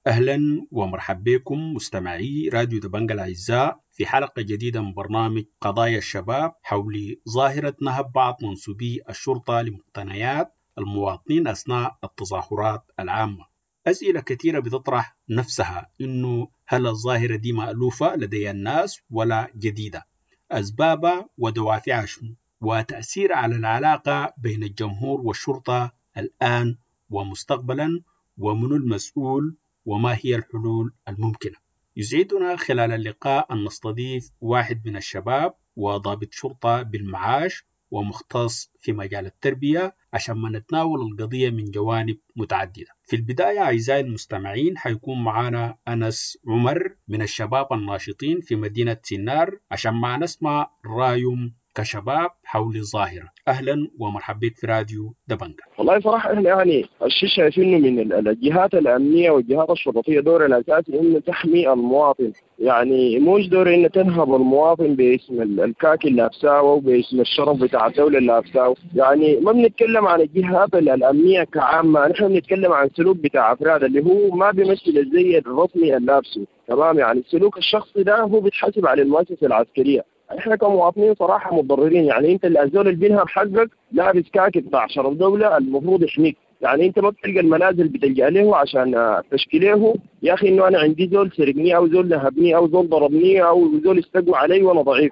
أهلا ومرحبا بكم مستمعي راديو دبنجا الأعزاء في حلقة جديدة من برنامج قضايا الشباب حول ظاهرة نهب بعض منسوبي الشرطة لمقتنيات المواطنين أثناء التظاهرات العامة. أسئلة كثيرة بتطرح نفسها، إنه هل الظاهرة دي مألوفة لدي الناس ولا جديدة؟ أسبابها ودوافعها شنو؟ وتأثير على العلاقة بين الجمهور والشرطة الآن ومستقبلا، ومن المسؤول، وما هي الحلول الممكنة؟ يسعدنا خلال اللقاء أن نستضيف واحد من الشباب وضابط شرطة بالمعاش ومختص في مجال التربية عشان ما نتناول القضية من جوانب متعددة. في البداية أعزائي المستمعين حيكون معنا أنس عمر من الشباب الناشطين في مدينة سنار عشان ما نسمع رأيهم كشباب حول الظاهرة. أهلا ومرحبا بك في راديو دبنجا. والله صراحة احنا يعني الشيء شايفينه من الجهات الأمنية والجهات الشرطية دور الأساسي إنه تحمي المواطن، يعني مش دور إنه تنهب المواطن باسم الكاكي اللي لابساه وباسم الشرف بتاع الدولة اللي لابساه. يعني ما بنتكلم عن الجهات الأمنية كعامة، نحن بنتكلم عن سلوك بتاع أفراد اللي هو ما بيمثل الزي الرسمي اللي لابسه، تمام؟ يعني السلوك الشخصي ده هو بيتحاسب على المؤسسة العسكرية. احنا كمواطنين صراحة متضررين، يعني انت الزول اللي بينهب حقك لابس كاكي بتاع شرف دولة المفروض يحميك، يعني انت ما بتلقى المنازل بتلجأ له عشان تشكي له يا اخي انه انا عندي زول سرقني او زول نهبني او زول ضربني او زول استقوى علي وانا ضعيف.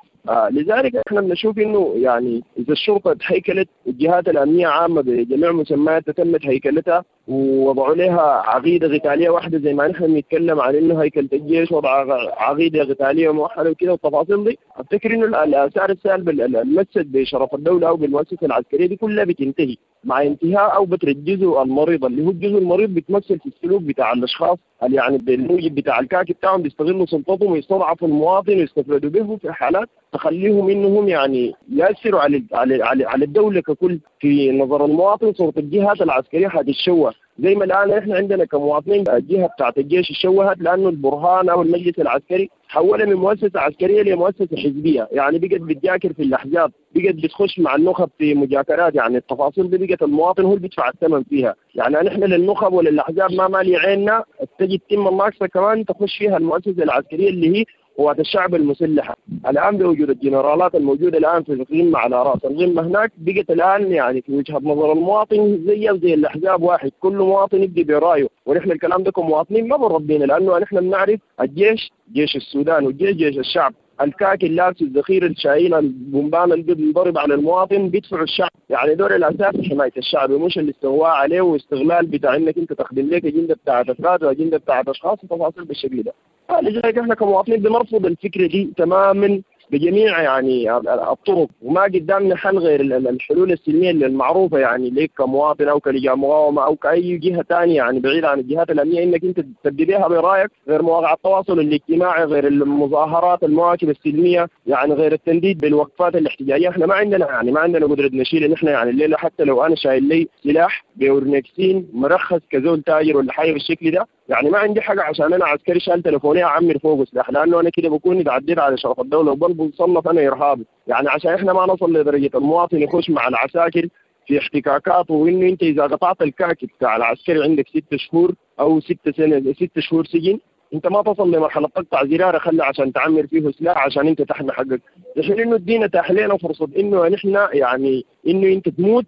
لذلك احنا بنشوف انه يعني اذا الشرطة تهيكلت، الجهات الامنية عامة بجميع مسمياتها تمت هيكلتها ووضعوا لها عقيدة قتالية واحدة، زي ما نحن بنتكلم عن انه هيكله الجيش وضع عقيدة قتالية موحدة وكده والتفاصيل دي، افتكر انه الاثار السالبه المست بشرف الدولة او بالمؤسسه العسكرية دي كلها بتنتهي مع انتهاء او بتر الجزء المريض اللي هو الجزء المريض بيتمثل في السلوك بتاع الاشخاص اللي يعني بالموجب بتاع الكاكي بتاعهم بيستغلوا سلطتهم ويستضعفوا المواطن ويستفردوا به في حالات تخليهم انهم يعني ياثروا على على على الدولة ككل. في نظر المواطن صوره الجهات العسكرية حتتشوه، زي ما الان احنا عندنا كمواطنين الجهة بتاعت الجيش اتشوهت لانه البرهان او المجلس العسكري حولها من مؤسسة عسكرية لمؤسسة حزبية، يعني بقت بتجاكر في الاحزاب، بقت بتخش مع النخب في مجاكرات، يعني التفاصيل دي بقت المواطن هو اللي بيدفع الثمن فيها. يعني نحن للنخب وللاحزاب ما مالي عيننا، تجي تتم الناقصة كمان تخش فيها المؤسسة العسكرية اللي هي قوات الشعب المسلحة. الان بوجود الجنرالات الموجودة الان في القمه على راس القمه هناك، بقت الان يعني في وجهه نظر المواطن زي الاحزاب واحد، كل مواطن يبدي برايه، ونحن الكلام ده كمواطنين ما بربينا لانه نحن بنعرف الجيش جيش السودان والجيش جيش الشعب. الكاكي اللابس الذخيره الشايله البومبان اللي بينضرب على المواطن بيدفعوا الشعب، يعني دور الاساسي حماية الشعب مش الاستغواء عليه واستغلال بتاع انك انت تخدم لك اجندة بتاعت افراد واجنده بتاعت اشخاص وتفاصيل بالشكل ده. لذلك احنا كمواطنين بنرفض الفكرة دي تماما، بجميع يعني الطرق، وما قدامنا حل غير الحلول السلمية المعروفة يعني ليك كمواطن او كلجان مقاومة او كاي جهة ثانية يعني بعيد عن الجهات الامنية، انك انت تبدي بها برايك، غير مواقع التواصل الاجتماعي، غير المظاهرات المواكب السلمية، يعني غير التنديد بالوقفات الاحتجاجية. احنا ما عندنا يعني ما عندنا قدره نشيل نحن يعني الليلة، حتى لو انا شايل لي سلاح بورنكسين مرخص كزول تاجر ولا حاجة بالشكل ده، يعني ما عندي حاجة عشان انا عسكري شال تليفوني اعمر فوقه سلاح، لانه انا كده بكون اتعديت على شرف الدولة وبرضه بصنف انا ارهابي. يعني عشان احنا ما نصل لدرجة المواطن يخش مع العساكر في احتكاكات، وانه انت اذا قطعت الكاكي بتاع العسكري عندك 6 شهور او 6 شهور سجن، انت ما تصل لمرحلة تقطع زرارة خلي عشان تعمر فيه سلاح عشان انت تحمي حقك. الحين انه الدين اتاح لنا فرصة انه نحن يعني انه انت تموت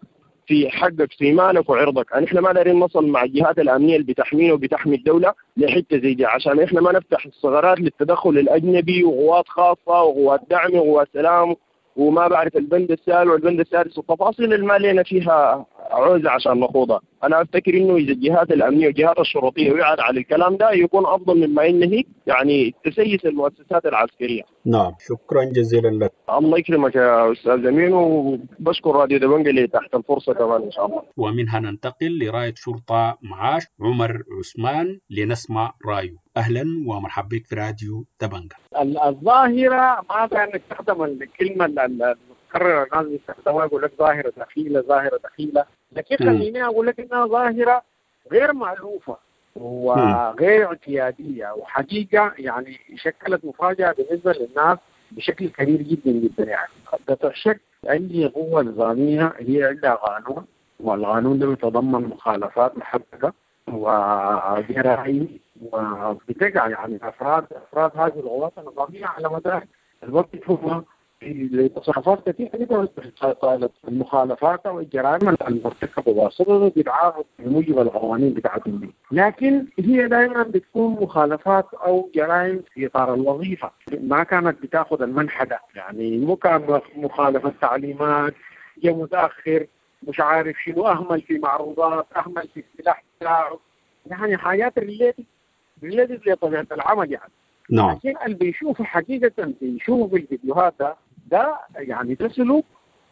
في حقك في مالك وعرضك. نحن ما دارين نصل مع الجهات الامنية اللي بتحمينا وبتحمي الدولة لحته زي دي، عشان احنا ما نفتح الثغرات للتدخل الاجنبي وقوات خاصة وقوات دعم وقوات سلام وما بعرف البند السابع والبند السادس والتفاصيل اللي ما لنا فيها عوزه عشان نخوضها. انا افتكر انه اذا الجهات الامنية والجهات الشرطية وعت على الكلام ده يكون افضل مما انه يعني تسيس المؤسسات العسكرية. نعم، شكرا جزيلا لك. الله يكرمك يا استاذ امين، وبشكر راديو دبنجة اللي تحت الفرصة كمان ان شاء الله. ومنها ننتقل لرايه شرطه معاش عمر عثمان لنسمع رايه. اهلا ومرحبا بك في راديو دبنجة. الظاهرة ما كان نستخدم الكلمة المتكررة الناس بيستخدموها، يقول لك ظاهره دخيله ظاهره دخيله، لكن خليني اقول لك انها ظاهره غير مألوفة وغير اعتياديه، وحقيقة يعني شكلت مفاجاة بالنسبة للناس بشكل كبير جدا جدا. يعني قطع شك عندي قوة نظامية هي عندها قانون، والقانون ده يتضمن مخالفات محددة وجرائم، وبتقع يعني افراد هذه القوات النظامية على مدار الوقت هم لتصرفات كثيرة جدا المخالفات او الجرائم المرتكبة بواسطة بيتعاقب بموجب القوانين بتاعتهم دي، لكن هي دائما بتكون مخالفات او جرائم في اطار الوظيفة، ما كانت بتاخذ المنحى ده، يعني مو كان مخالفة تعليمات، جاء متاخر، مش عارف شنو، اهمل في معروضات، اهمل في السلاح بتاعه، يعني حاجات related لطبيعة العمل يعني. نعم. لكن اللي بيشوفه حقيقة بيشوفه في الفيديوهات ده يعني ده سلوك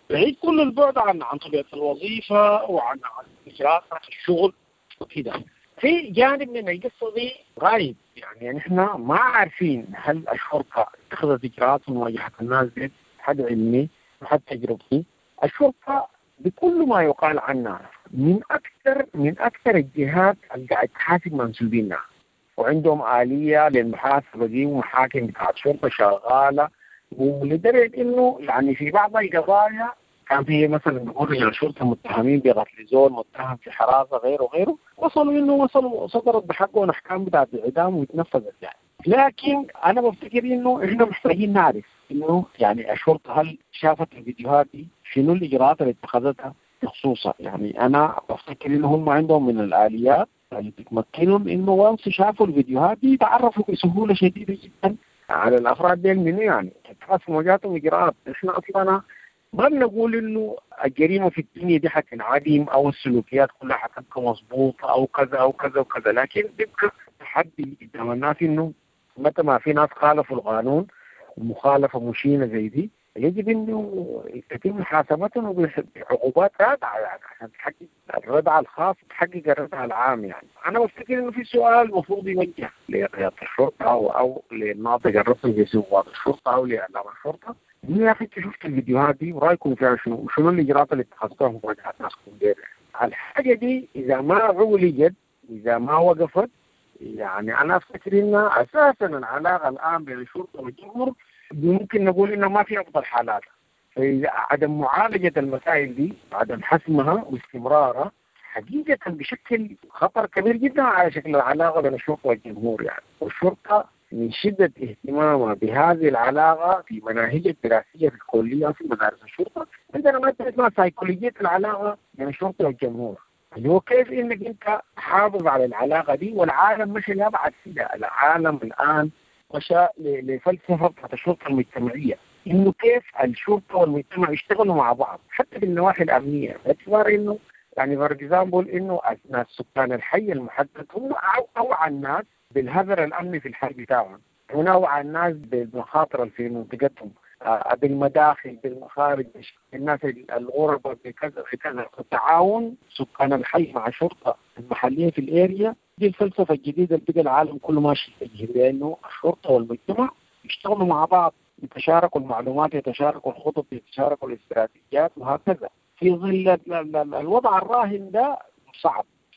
بعيد كل البعد عن طبيعة الوظيفة وعن إجراءات الشغل وكده. في جانب من القصة دي غايب، يعني نحن ما عارفين هل الشرطة اتخذت إجراءات في مواجهة الناس دي. حد علمي وحد تجربتي، الشرطة بكل ما يقال عنها من أكثر الجهات اللي قاعد تحاسب منسوبينها، وعندهم آلية للمحاسبة دي ومحاكم بتاعت شرطة شغالة، ولدرجة إنه يعني في بعض القضايا كان في مثلا بيقول رجال الشرطة متهمين بقتل زول، متهم في حراسة، غيره غيره، وصلوا صدرت بحقهم أحكام بتاعت الإعدام وتنفذت يعني. لكن أنا بفتكر إنه إحنا محتاجين نعرف إنه يعني الشرطة هل شافت الفيديوهات دي، شنو الإجراءات اللي اتخذتها بخصوصها. يعني أنا بفتكر إنه هم عندهم من الآليات اللي بتمكنهم انه وانس شافوا الفيديوهات دي يتعرفوا بسهولة شديدة جدا على الافراد دي منو، يعني اتخذ مواجهتهم اجراءات. احنا اصلا ما بنقول انه الجريمة في الدنيا دي حتنعدم او السلوكيات كلها حتبقى مظبوطة او كذا او كذا وكذا، لكن بيبقى تحدي قدام الناس انه متى ما في ناس خالفوا القانون ومخالفه مشينة زي دي يجب انه يتم محاسبتهم بعقوبات رادعة، يعني عشان تحقق الردع الخاص وتحقق الردع العام. يعني انا بفتكر انه في سؤال المفروض يوجه لقيادة الشرطة او للناطق الرسمي في قوات الشرطة او لاعلام الشرطة، انه يا اخي انت شفت الفيديوهات دي ورايكم فيها شنو؟ شنو الاجراءات اللي اتخذتوها في مواجهة ناسكم دي؟ الحاجة دي اذا ما عولجت، اذا ما وقفت، يعني انا افتكر ان اساسا العلاقة الان بين الشرطة والجمهور ممكن نقول انه ما في افضل حالاتها. عدم معالجة المسائل دي، عدم حسمها واستمرارها حقيقة بشكل خطر كبير جدا على شكل العلاقة بين الشرطة والجمهور يعني. والشرطة من شده اهتمامها بهذه العلاقة في مناهج الدراسية في الكلية في مدارس الشرطة عندنا مادة اسمها سيكولوجية العلاقة بين الشرطة والجمهور، اللي هو كيف انك انت تحافظ على العلاقة دي. والعالم مش لابعد كده، العالم الان مشى لفلسفه بتاعت الشرطة المجتمعية، انه كيف الشرطة والمجتمع يشتغلوا مع بعض حتى بالنواحي الامنية، باعتبار انه يعني for example انه ناس سكان الحي المحدد هم اوعى الناس بالهذر الامني في الحي بتاعهم، هنا اوعى الناس بالمخاطر اللي في منطقتهم. بالمداخل، بالمخارج، الناس الغرباء، بكذا بكذا. التعاون سكان الحي مع الشرطة المحلية في ال area دي الفلسفة الجديدة اللي بقى العالم كله ماشي يتجه لها، انه الشرطة والمجتمع يشتغلوا مع بعض، يتشاركوا المعلومات، يتشاركوا الخطط، يتشاركوا الاستراتيجيات وهكذا. في ظل الوضع الراهن ده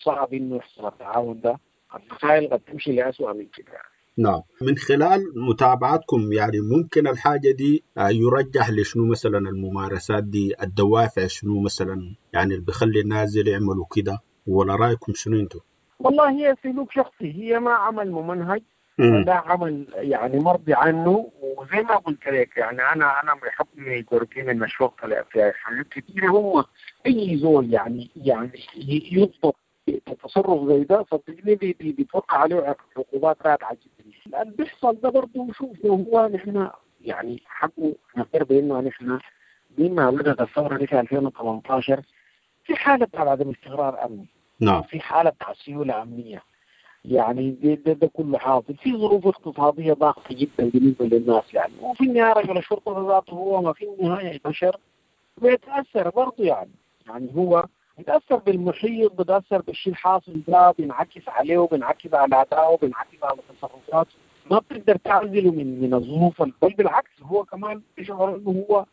صعب انه يحصل التعاون ده، المسائل قد تمشي لأسوأ من كده. نعم، من خلال متابعتكم يعني ممكن الحاجة دي يرجح لشنو مثلا الممارسات دي، الدوافع شنو مثلا يعني اللي بيخلي الناس يعملوا كده، ولا رأيكم شنو انتم؟ والله هي سلوك شخصي، هي ما عمل ممنهج ولا عمل يعني مرضي عنه. وزي ما قلت لك يعني انا بحكم قربي من الشرطة في حاجات كثيرة، هم اي زول يعني يضبط تصرف زي ده صدقني بيتوقع عليه عقوبات رادعة جدا. اللي بيحصل ده برضه شوف هو نحن يعني حقه نقر بانه نحن مما بدات الثورة دي في 2018 في حاله عدم استقرار امني، نعم، في حاله سيولة امنية، يعني ده كله حاصل في ظروف اقتصادية ضاغطة جدا بالنسبة للناس يعني. وفي النهاية رجل الشرطة ذاته هو ما في النهاية بشر بيتاثر برضه، يعني هو بيتاثر بالمحيط، بيتاثر بالشيء الحاصل ده، بينعكس عليه وبينعكس على ادائه وبينعكس على تصرفاته، ما بتقدر تعزله من الظروف، بل بالعكس هو كمان بيشعر انه هو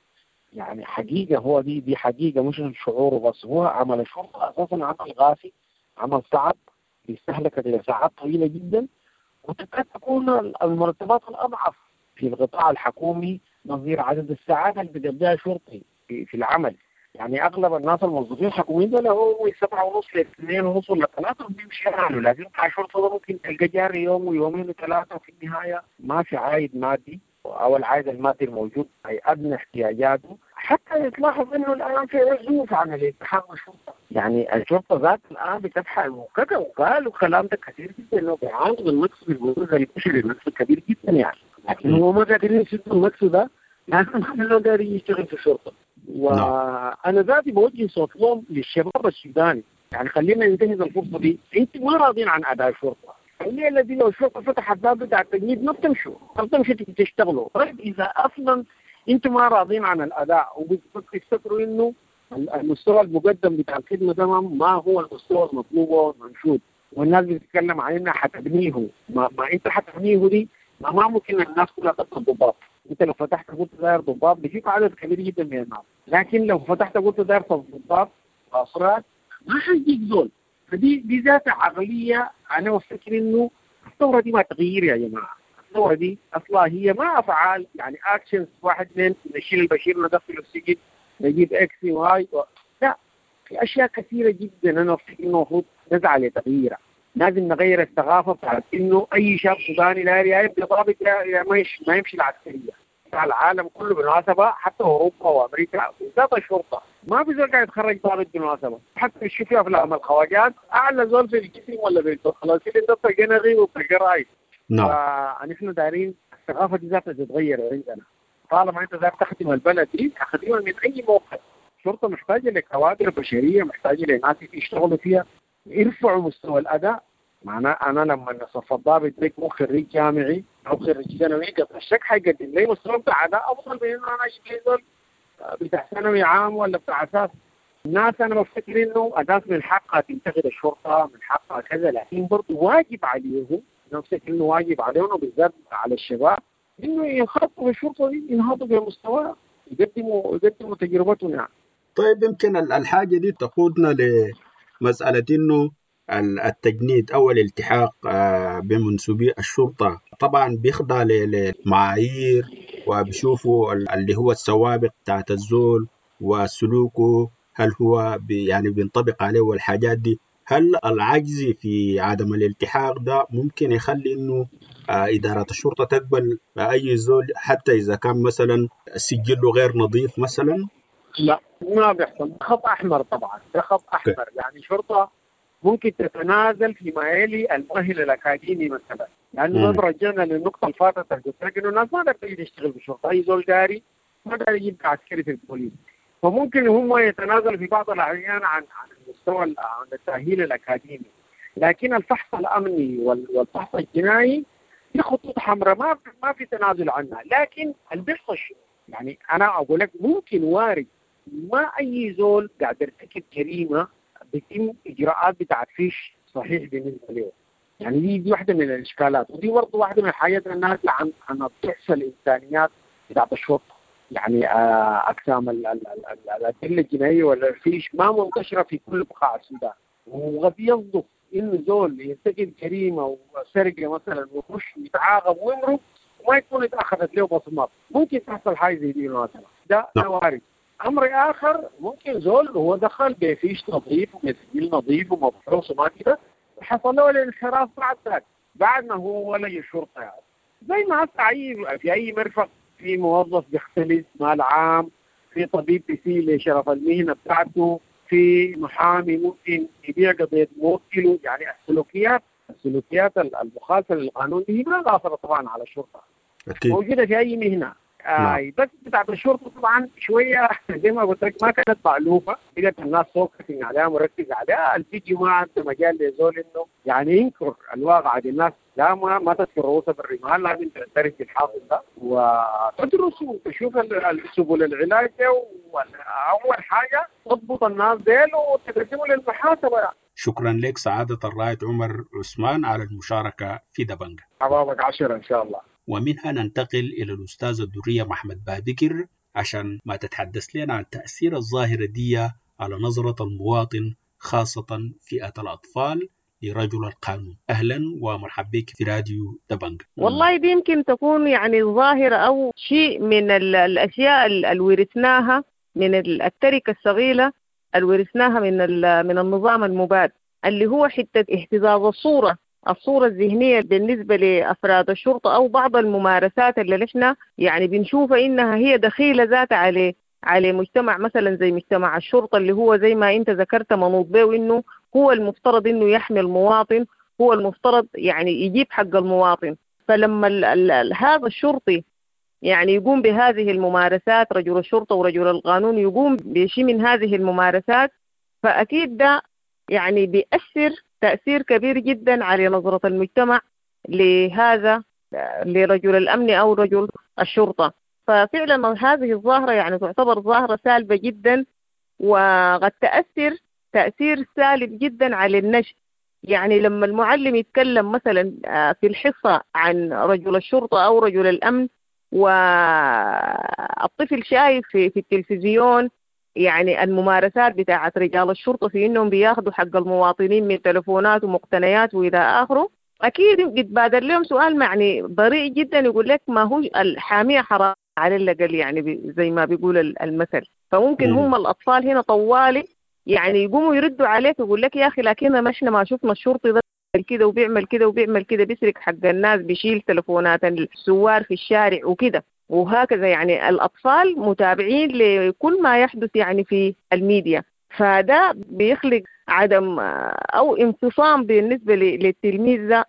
يعني حقيقة، هو دي حقيقة مش شعوره بس، هو عمل الشرطة اساسا عمل غافي، عمل صعب، بيستهلك لساعات طويلة جدا، وتكاد تكون المرتبات الاضعف في القطاع الحكومي نظير عدد الساعات اللي بيقضيها شرطي في العمل. يعني اغلب الناس الموظفين الحكوميين دول هو 7:30 ل 2:30 ولا 3 بيمشي حاله، لكن بتاع الشرطة ده ممكن تلقى جاري يوم ويومين وثلاثة، وفي النهاية ما في عائد مادي او العائد المادي الموجود اي ادنى احتياجاته. حتى يتلاحظ انه الان في عزوف عن الالتحاق بالشرطة، يعني الشرطة ذات الان بتبحث وكذا، وقالوا الكلام ده كثير جدا انه بيعانوا من نقص في البروز البشري، نقص كبير جدا يعني، لكن هو ما قادرين يسدوا النقص ده لانه ما قادر يشتغل في الشرطة. وانا ذاتي بوجه صوت لهم للشباب السوداني، يعني خلينا ننتهز الفرصة دي، انتم ما راضين عن اداء الشرطة، الليلة دي لو الشرطة فتحت باب بتاع التجنيد ما بتمشوا، ما بتمشوا تشتغلوا. طيب اذا اصلا انتم ما راضين عن الاداء وبتفتكروا انه المستوى المقدم بتاع الخدمة ده ما هو المستوى المطلوب والمنشود، والناس بتتكلم عن انها حتبنيه، ما انت حتبنيه دي ما ممكن الناس كلها تبقى ضباط. انت لو فتحت قلت داير ضباط بيجيك عدد كبير جدا من الناس، لكن لو فتحت قلت داير ضباط وافراد ما حيجيك زول. فدي ذات عقلية انا بفتكر انه الثورة دي ما تغيير يا جماعة، الثورة دي اصلا هي ما افعال يعني actions، واحد اثنين نشيل البشير ندخله السجن نجيب X و Y لا، في اشياء كثيرة جدا انا بفتكر انه المفروض نسعى لتغييرها. لازم نغير الثقافة بتاعت انه اي شاب سوداني لا يبقى ضابط ما يمشي العسكرية. العالم كله بالمناسبة حتى اوروبا وامريكا بالذات الشرطة ما في زول قاعد يتخرج ضابط بالمناسبة، حتى تشوف في افلام الخواجات اعلى زول في الجسم ولا في الخلاصين ده جنري وبتلقى. نعم، فنحن دايرين الثقافة دي ذاتها تتغير عندنا. طالما انت داير تخدم البلد دي اخدمها من اي موقع. الشرطة محتاجه لكوادر بشرية، محتاجه لناس يشتغلوا فيها، يرفعوا مستوى الاداء. معناه انا لما صف الضابط ده يكون خريج جامعي او خريج ثانوي قطع الشك حيقدم لي مستوى بتاع اداء افضل من انه انا اجيب لي زول بتاع ثانوي عام ولا بتاع اساس. الناس انا بفتكر انه الناس من حقها تنتقد الشرطة، من حقها كذا، لكن برضه واجب عليهم، انا بفتكر انه واجب عليهم وبالذات على الشباب انه ينخرطوا في الشرطة دي، ينهضوا بمستوى، يقدموا تجربتهم يعني. طيب يمكن الحاجة دي تقودنا لمسالة انه التجنيد أو الالتحاق بمنسوبي الشرطة طبعا بيخضع لمعايير، وبيشوفوا اللي هو السوابق بتاعت الزول وسلوكه، هل هو يعني بينطبق عليه والحاجات دي. هل العجز في عدم الالتحاق ده ممكن يخلي إنه إدارة الشرطة تقبل أي زول حتى إذا كان مثلا سجله غير نظيف مثلا؟ لا، ما بيحصل. خط أحمر طبعا، ده خط أحمر. يعني شرطة ممكن تتنازل فيما يلي المؤهل الاكاديمي مثلا، لانه رجعنا للنقطة اللي فاتت قلت لك انه الناس ما قدرت تيجي تشتغل في الشرطة، اي زول داري ما قادر يجيب عسكري في البوليس، فممكن هم يتنازلوا في بعض الاحيان عن المستوى عن التاهيل الاكاديمي، لكن الفحص الامني والفحص الجنائي دي خطوط حمراء ما في تنازل عنها. لكن اللي بيحصل يعني انا اقول لك ممكن وارد ما اي زول قاعد يرتكب جريمة بيتم اجراءات بتاعت فيش صحيح بالنسبة له. يعني دي واحدة من الاشكالات، ودي برضه واحدة من الحاجات الناتجة عن ضعف الامكانيات بتاعت الشرطة. يعني اقسام الادلة الجنائية ولا الفيش ما منتشرة في كل بقاع السودان، وقد يصدف انه زول يرتكب جريمة وسرقة مثلا ويخش يتعاقب ويمرق وما يكون اتاخذت له بصمات، ممكن تحصل حاجة زي دي مثلا، ده وارد. امر اخر ممكن زول هو دخل بفيش نظيف وبسجل نظيف ومفحوص وما كده، حصل له الانحراف بعد ذاك، بعد ما هو ولي الشرطة. يعني زي ما هسه في اي مرفق في موظف بيختلس مال عام، في طبيب بيسيء لشرف المهنة بتاعته، في محامي ممكن يبيع قضية موكله. يعني السلوكيات المخالفة للقانون دي ما قاصرة طبعا على الشرطة، أكيد موجودة في اي مهنة. نعم. بس بتاعت الشرطة طبعا شوية زي ما قلت لك ما كانت مألوفة، بقت الناس focusing عليها مركزه عليها. الفيديو ما عنده مجال لزول انه يعني ينكر الواقع دي. الناس لا ما تذكر رؤوسها بالرمال، لازم تعترف بالحاصل ده وتدرس وتشوف سبل العلاج، واول حاجة تضبط الناس ديل وتقدموا للمحاسبة. يعني شكرا لك سعادة الرائد عمر عثمان على المشاركة في دبنجة. حبابك 10 ان شاء الله. ومنها ننتقل إلى الأستاذة الدرية محمد بابكر عشان ما تتحدث لنا عن تأثير الظاهرة دي على نظرة المواطن خاصة فئة الأطفال لرجل القانون. أهلا ومرحبا بك في راديو دبنج. والله دي يمكن تكون يعني ظاهرة أو شيء من الأشياء اللي ورثناها من التركة الصغيرة اللي ورثناها من النظام المباد، اللي هو حتة اهتزاز الصورة الذهنية بالنسبة لأفراد الشرطة أو بعض الممارسات اللي نحن يعني بنشوفها إنها هي دخيلة ذات على مجتمع مثلا زي مجتمع الشرطة، اللي هو زي ما أنت ذكرت منوط به إنه هو المفترض إنه يحمي المواطن، هو المفترض يعني يجيب حق المواطن. فلما هذا الشرطي يعني يقوم بهذه الممارسات، رجل الشرطة ورجل القانون يقوم بشيء من هذه الممارسات، فأكيد ده يعني بيأثر تأثير كبير جدا على نظرة المجتمع لهذا لرجل الأمن أو رجل الشرطة. ففعلا هذه الظاهرة يعني تعتبر ظاهرة سالبة جدا، وقد تأثر تأثير سالب جدا على النشء. يعني لما المعلم يتكلم مثلا في الحصة عن رجل الشرطة أو رجل الأمن، والطفل شايف في التلفزيون يعني الممارسات بتاعت رجال الشرطة في إنهم بياخدوا حق المواطنين من تلفونات ومقتنيات وإلى آخره، أكيد بيتبادر لهم سؤال معني بريء جدا، يقول لك ما هو الحامية حرام على الأقل، يعني زي ما بيقول المثل. فممكن هم الأطفال هنا طوالي يعني يقوموا يردوا عليك يقول لك يا أخي لكن ما إحنا ما شفنا الشرطي ده كده وبيعمل كده وبيعمل كده، بيسرق حق الناس، بيشيل تلفونات السوار في الشارع وكده وهكذا. يعني الأطفال متابعين لكل ما يحدث يعني في الميديا، فده بيخلق عدم أو انفصام بالنسبة للتلميذ ده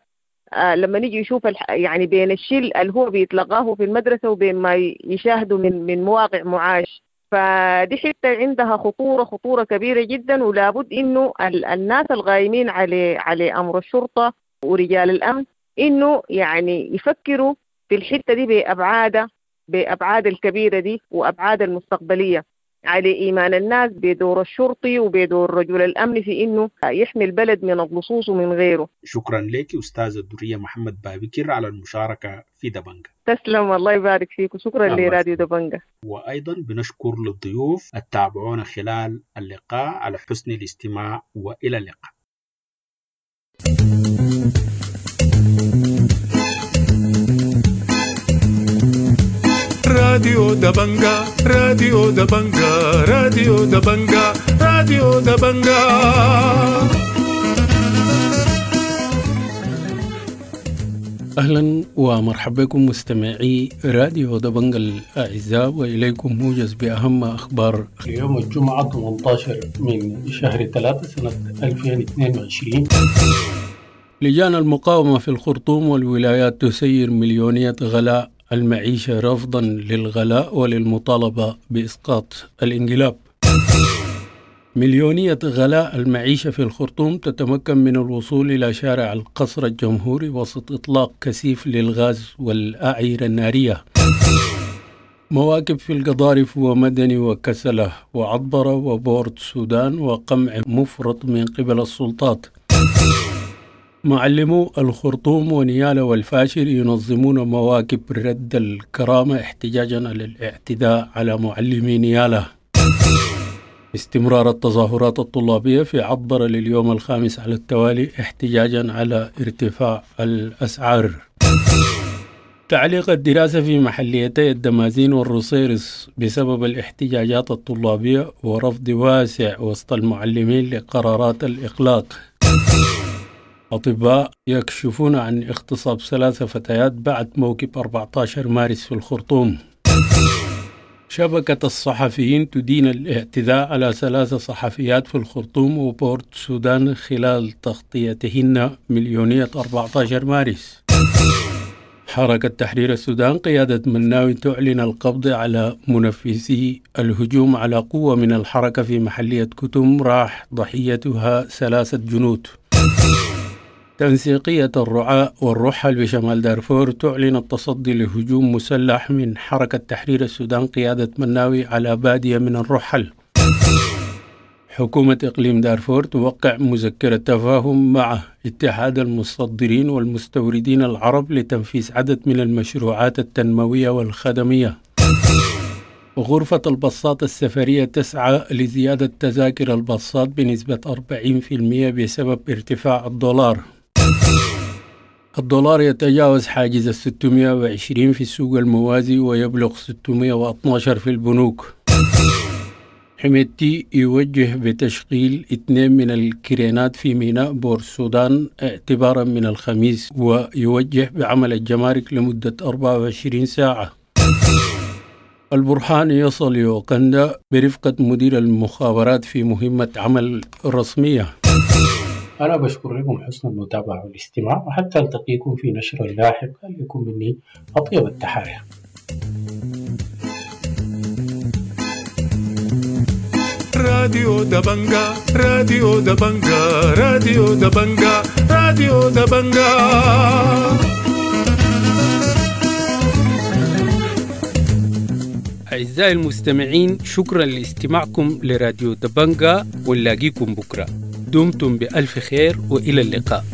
لما نيجي يشوف يعني بين الشيء اللي هو بيتلقاه في المدرسة وبين ما يشاهده من مواقع معاش. فدي حتة عندها خطورة كبيرة جدا، ولابد إنه الناس الغايمين على أمر الشرطة ورجال الأمن إنه يعني يفكروا في الحتة دي بأبعاد الكبيرة دي وأبعاد المستقبلية، على إيمان الناس بدور الشرطي وبدور رجل الأمن في إنه يحمي البلد من اللصوص ومن غيره. شكرا لك أستاذة الدرية محمد بابكر على المشاركة في دبنجة. تسلم، الله يبارك فيك، وشكرا لراديو دبنجة. وأيضا بنشكر للضيوف التابعونا خلال اللقاء على حسن الاستماع، وإلى اللقاء. راديو دبنجة، راديو دبنجة، راديو دبنجة، راديو دبنجة. أهلا ومرحبا بكم مستمعي راديو دبنجة الأعزاء، وإليكم موجز بأهم أخبار اليوم الجمعة 18 من شهر 3 سنة 2022. لجان المقاومة في الخرطوم والولايات تسير مليونية غلاء المعيشة رفضا للغلاء وللمطالبة بإسقاط الانقلاب. مليونية غلاء المعيشة في الخرطوم تتمكن من الوصول إلى شارع القصر الجمهوري وسط إطلاق كثيف للغاز والأعيرة النارية. مواكب في القضارف ومدني وكسلة وعطبرة وبورت سودان وقمع مفرط من قبل السلطات. معلمو الخرطوم ونيالا والفاشر ينظمون مواكب رد الكرامة احتجاجا على الاعتداء على معلمي نيالا. استمرار التظاهرات الطلابية في عطبرة لليوم الخامس على التوالي احتجاجا على ارتفاع الأسعار. تعليق الدراسة في محليتي الدمازين والرصيرص بسبب الاحتجاجات الطلابية ورفض واسع وسط المعلمين لقرارات الإغلاق. أطباء يكشفون عن اغتصاب 3 فتيات بعد موكب 14 مارس في الخرطوم. شبكة الصحفيين تدين الاعتداء على 3 صحفيات في الخرطوم وبورت سودان خلال تغطيتهن مليونية 14 مارس. حركة تحرير السودان قيادة مناوي تعلن القبض على منفذي الهجوم على قوة من الحركة في محلية كتم راح ضحيتها 3 جنود. تنسيقية الرعاة والرحل بشمال دارفور تعلن التصدي لهجوم مسلح من حركة تحرير السودان قيادة مناوي على بادية من الرحل. حكومة إقليم دارفور توقع مذكرة تفاهم مع اتحاد المصدرين والمستوردين العرب لتنفيذ عدد من المشروعات التنموية والخدمية. غرفة الباصات السفرية تسعى لزيادة تذاكر الباصات بنسبة 40% بسبب ارتفاع الدولار. الدولار يتجاوز حاجز 620 في السوق الموازي ويبلغ 612 في البنوك. حميدتي يوجه بتشغيل 2 من الكرينات في ميناء بور السودان اعتبارا من الخميس، ويوجه بعمل الجمارك لمدة 24 ساعة. البرهان يصل يوغندا برفقة مدير المخابرات في مهمة عمل رسمية. أنا بشكر لكم حسن المتابعة والاستماع، وحتى ألتقيكم في نشر لاحق. لكم مني أطيب التحايا. راديو دبنجا، راديو دبنجا، راديو دبنجا، راديو دبنجا. أعزائي المستمعين، شكرا لاستماعكم لراديو دبنجا، ونلاقيكم بكرة. دمتم بألف خير وإلى اللقاء.